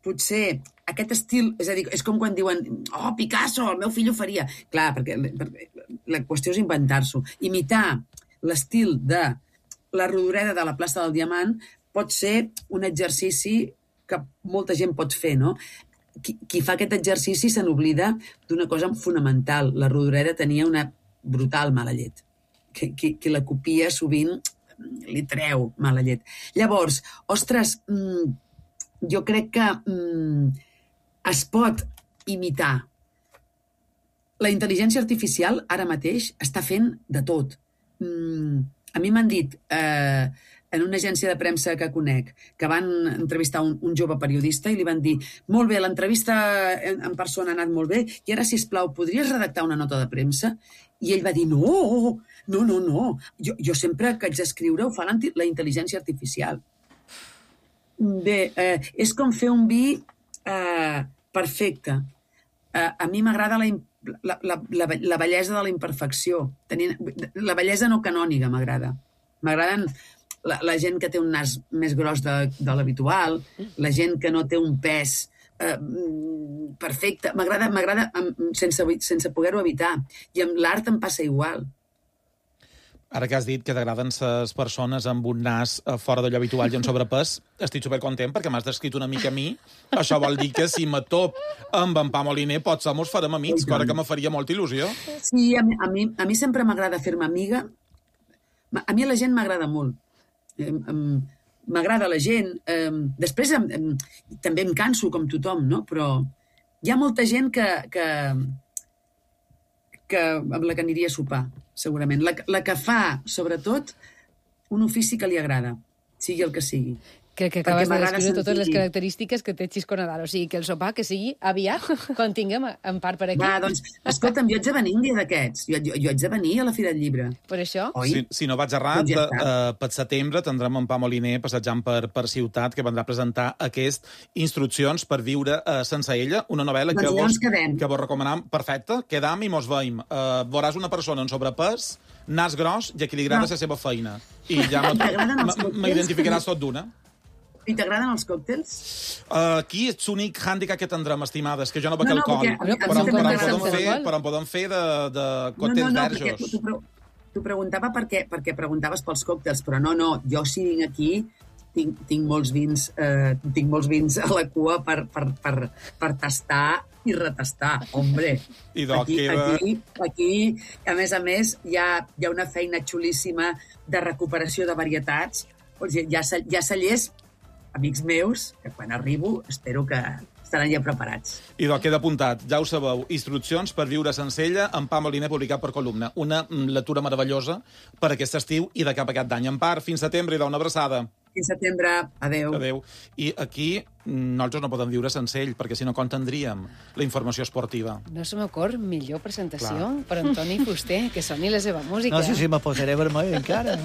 potser, aquest estil... És a dir, és com quan diuen oh, Picasso, el meu fill ho faria. Clar, perquè la qüestió és inventar-s'ho. Imitar l'estil de la rodoreda de la plaça del Diamant pot ser un exercici que molta gent pot fer, no? Qui fa aquest exercici se n'oblida d'una cosa fonamental. La Rodoreda tenia una brutal mala llet. Qui la copia sovint li treu mala llet. Llavors, ostres, jo crec que es pot imitar. La intel·ligència artificial ara mateix està fent de tot. A mi m'han dit en una agència de premsa que conec que van entrevistar un jove periodista i li van dir molt bé, l'entrevista en persona ha anat molt bé i ara, sisplau, podries redactar una nota de premsa? I ell va dir no. Jo sempre que haig d'escriure ho fa la intel·ligència artificial. Bé, és com fer un vi perfecte. A mi m'agrada la bellesa de la imperfecció. La bellesa no canònica m'agrada. M'agraden la gent que té un nas més gros de l'habitual, la gent que no té un pes perfecte. M'agrada sense poder-ho evitar. I amb l'art em passa igual. Ara que has dit que t'agraden les persones amb un nas fora d'allò habitual i amb sobrepès, estic supercontent perquè m'has descrit una mica a mi. Això vol dir que si me top amb en Pau Moliner potser mos farem amics, cosa que me faria molta il·lusió. Sí, a mi sempre m'agrada fer-me amiga. A mi la gent m'agrada molt. M'agrada la gent. Després també em canso com tothom, no? Però hi ha molta gent amb la que aniria a sopar, segurament. La que fa, sobretot, un ofici que li agrada, sigui el que sigui. Crec que acabes de descriure totes les característiques que té Xisco Nadal. O sigui, que el sopar que sigui aviat, quan tinguem en part per aquí. Va, doncs, escolta'm, jo haig de venir un dia d'aquests. Jo haig de venir a la Fira del Llibre. Per això? Si no vaig errat, per setembre tindrem en Pau Moliner passejant per ciutat, que vendrà a presentar instruccions per viure sense ella, una novel·la que vos recomanam. Perfecte, quedam i mos veiem. Veuràs una persona en sobrepès, nas gros, i a qui li agrada la seva feina. I ja m'identificaràs tot d'una. I t'agraden els còctels? Aquí és l'únic hàndicap que tindrem, estimades, que jo no bec alcohol. Però en podem fer de còctels verges. T'ho preguntava perquè preguntaves pels còctels, però no, jo si vinc aquí tinc molts vins a la cua per tastar i retastar, hombre. Aquí, a més, hi ha una feina xulíssima de recuperació de varietats. Hi ha cellers, amics meus, que quan arribo espero que estaran ja preparats. I queda apuntat, ja ho sabeu, instruccions per viure sense ella, en Pau Moliner, publicat per Columna. Una lectura meravellosa per aquest estiu i de cap a aquest any. En part, fins setembre, i una abraçada. Fins setembre, adeu. I aquí nosaltres no podem viure sense ell, perquè si no, com tindríem la informació esportiva? No se m'ocorre millor presentació per Antoni Fuster, que soni la seva música. No, sí, me posaré vermell encara.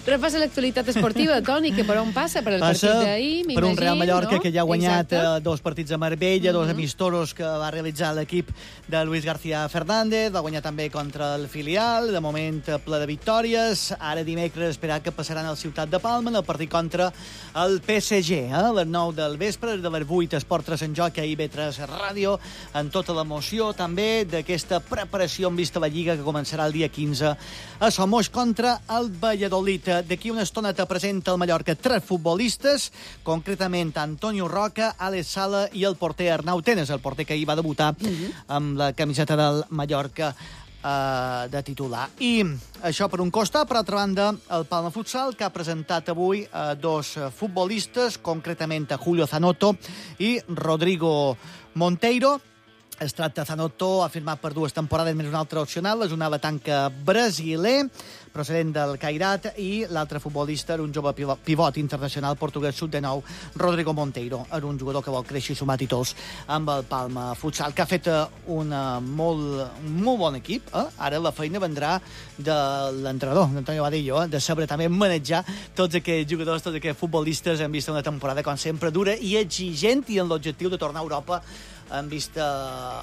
Repassa l'actualitat esportiva, Toni, que per on passa? Per el partit d'ahir, m'imagino, per un Real Mallorca, no? que ja ha guanyat dos partits a Marbella, dos amistosos que va realitzar l'equip de Luis García Fernández, va guanyar també contra el filial, de moment ple de victòries. Ara dimecres esperat que passaran al Ciutat de Palma en el partit contra el PSG, a les 9 del vespre, de les 8 Esport 3 en joc, a IB3 Ràdio, en tota l'emoció també d'aquesta preparació en vista a la Lliga que començarà el dia 15 a Somos contra el Valladolid. D'aquí una estona te presenta el Mallorca 3 futbolistes, concretament Antonio Roca, Alex Sala i el porter Arnau Tenes, el porter que ahir va debutar amb la camiseta del Mallorca de titular. I això per un costat. Per altra banda, el Palma Futsal, que ha presentat avui dos futbolistes, concretament a Julio Zanotto i Rodrigo Monteiro. Es tracta, Zanotto ha firmat per 2 temporades més una altra opcional, és un ala tanca brasiler, procedent del Cairat, i l'altre futbolista era un jove pivot internacional portuguès sub-19, Rodrigo Monteiro. Era un jugador que vol créixer i sumar títols amb el Palma Futsal, que ha fet un molt bon equip. Ara la feina vendrà de l'entrenador, d'Antonio Vadillo, de saber també manejar tots aquests jugadors, tots aquests futbolistes. Hem vist una temporada, com sempre, dura i exigent, i en l'objectiu de tornar a Europa en vista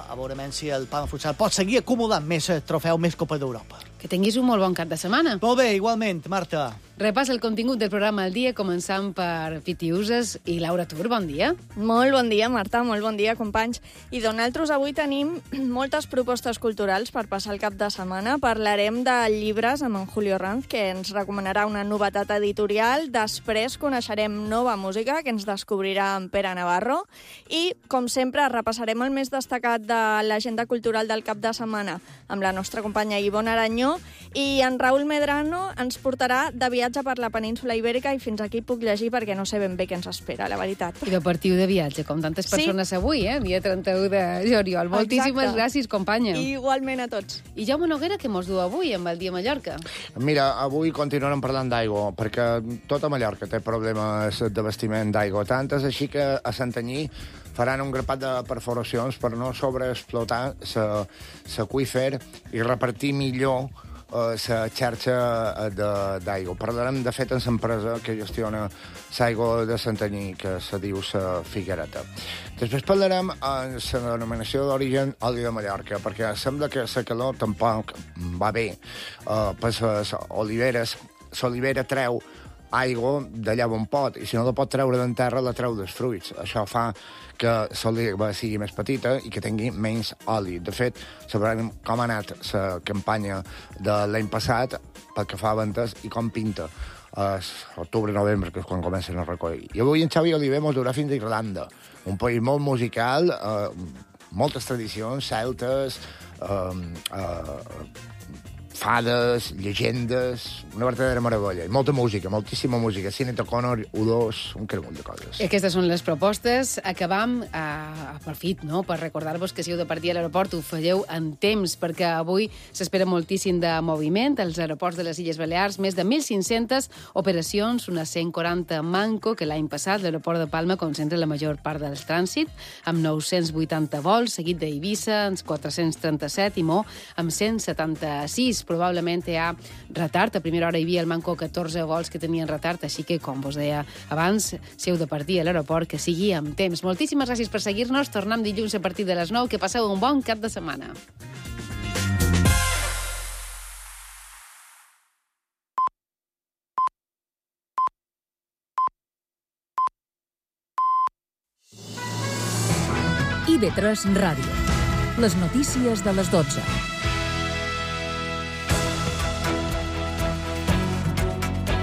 a veure si el Palma Futsal pot seguir acumulant més trofeu, més Copa d'Europa. Que tinguis un molt bon cap de setmana. Molt bé, igualment, Marta. Repàs el contingut del programa al dia, començant per Piti Uses i Laura Tur. Bon dia. Molt bon dia, Marta, molt bon dia, companys. I nosaltres avui tenim moltes propostes culturals per passar el cap de setmana. Parlarem de llibres amb en Julio Ranz, que ens recomanarà una novetat editorial. Després coneixerem nova música, que ens descobrirà en Pere Navarro. I, com sempre, repassarem el més destacat de l'agenda cultural del cap de setmana amb la nostra companya Ivonne Aranyó. I en Raül Medrano ens portarà de viatge per la península Ibèrica i fins aquí puc llegir perquè no sé ben bé què ens espera, la veritat. I de partiu de viatge, com tantes persones avui, dia 31 de juliol. Moltíssimes gràcies, companya. Igualment a tots. I Jaume Noguera, què mos du avui amb el dia Mallorca? Mira, avui continuarem parlant d'aigua, perquè tota Mallorca té problemes d'abastiment d'aigua. Tant és així que a Santanyí faran un grapat de perforacions per no sobreexplotar l'aqüífer i repartir millor la xarxa d'aigua. Parlarem, de fet, amb l'empresa que gestiona l'aigua de Santanyí, que se diu la Figuereta. Després parlarem amb la denominació d'origen oli de Mallorca, perquè sembla que la calor tampoc va bé per les oliveres. L'olivera treu aigua d'allà on pot, i si no la pot treure d'en terra, la treu dels fruits. Això fa que l'oliva sigui més petita i que tingui menys oli. De fet, sabrem com ha anat la campanya de l'any passat pel que fa a ventes i com pinta octubre-novembre, que és quan comencen a recollir. I avui en Xavi Oliver mos durà fins a Irlanda, un país molt musical, moltes tradicions celtes, fades, llegendes, una verdadera meravella. I molta música, moltíssima música. Sinead O'Connor, U2, un cremull de coses. Aquestes són les propostes. Acabam, aprofit, no?, per recordar-vos que si heu de partir a l'aeroport ho falleu en temps, perquè avui s'espera moltíssim de moviment als aeroports de les Illes Balears, més de 1.500 operacions, unes 140 manco, que l'any passat l'aeroport de Palma concentra la major part del trànsit, amb 980 vols, seguit d'Eivissa, amb 437, i Mo, amb 176. Probablement hi ha retard. A primera hora hi havia al manco 14 vols que tenien retard, així que, com vos deia abans, si heu de partir a l'aeroport, que sigui amb temps. Moltíssimes gràcies per seguir-nos. Tornem dilluns a partir de les 9. Que passeu un bon cap de setmana. IB3 Ràdio. Les notícies de les 12.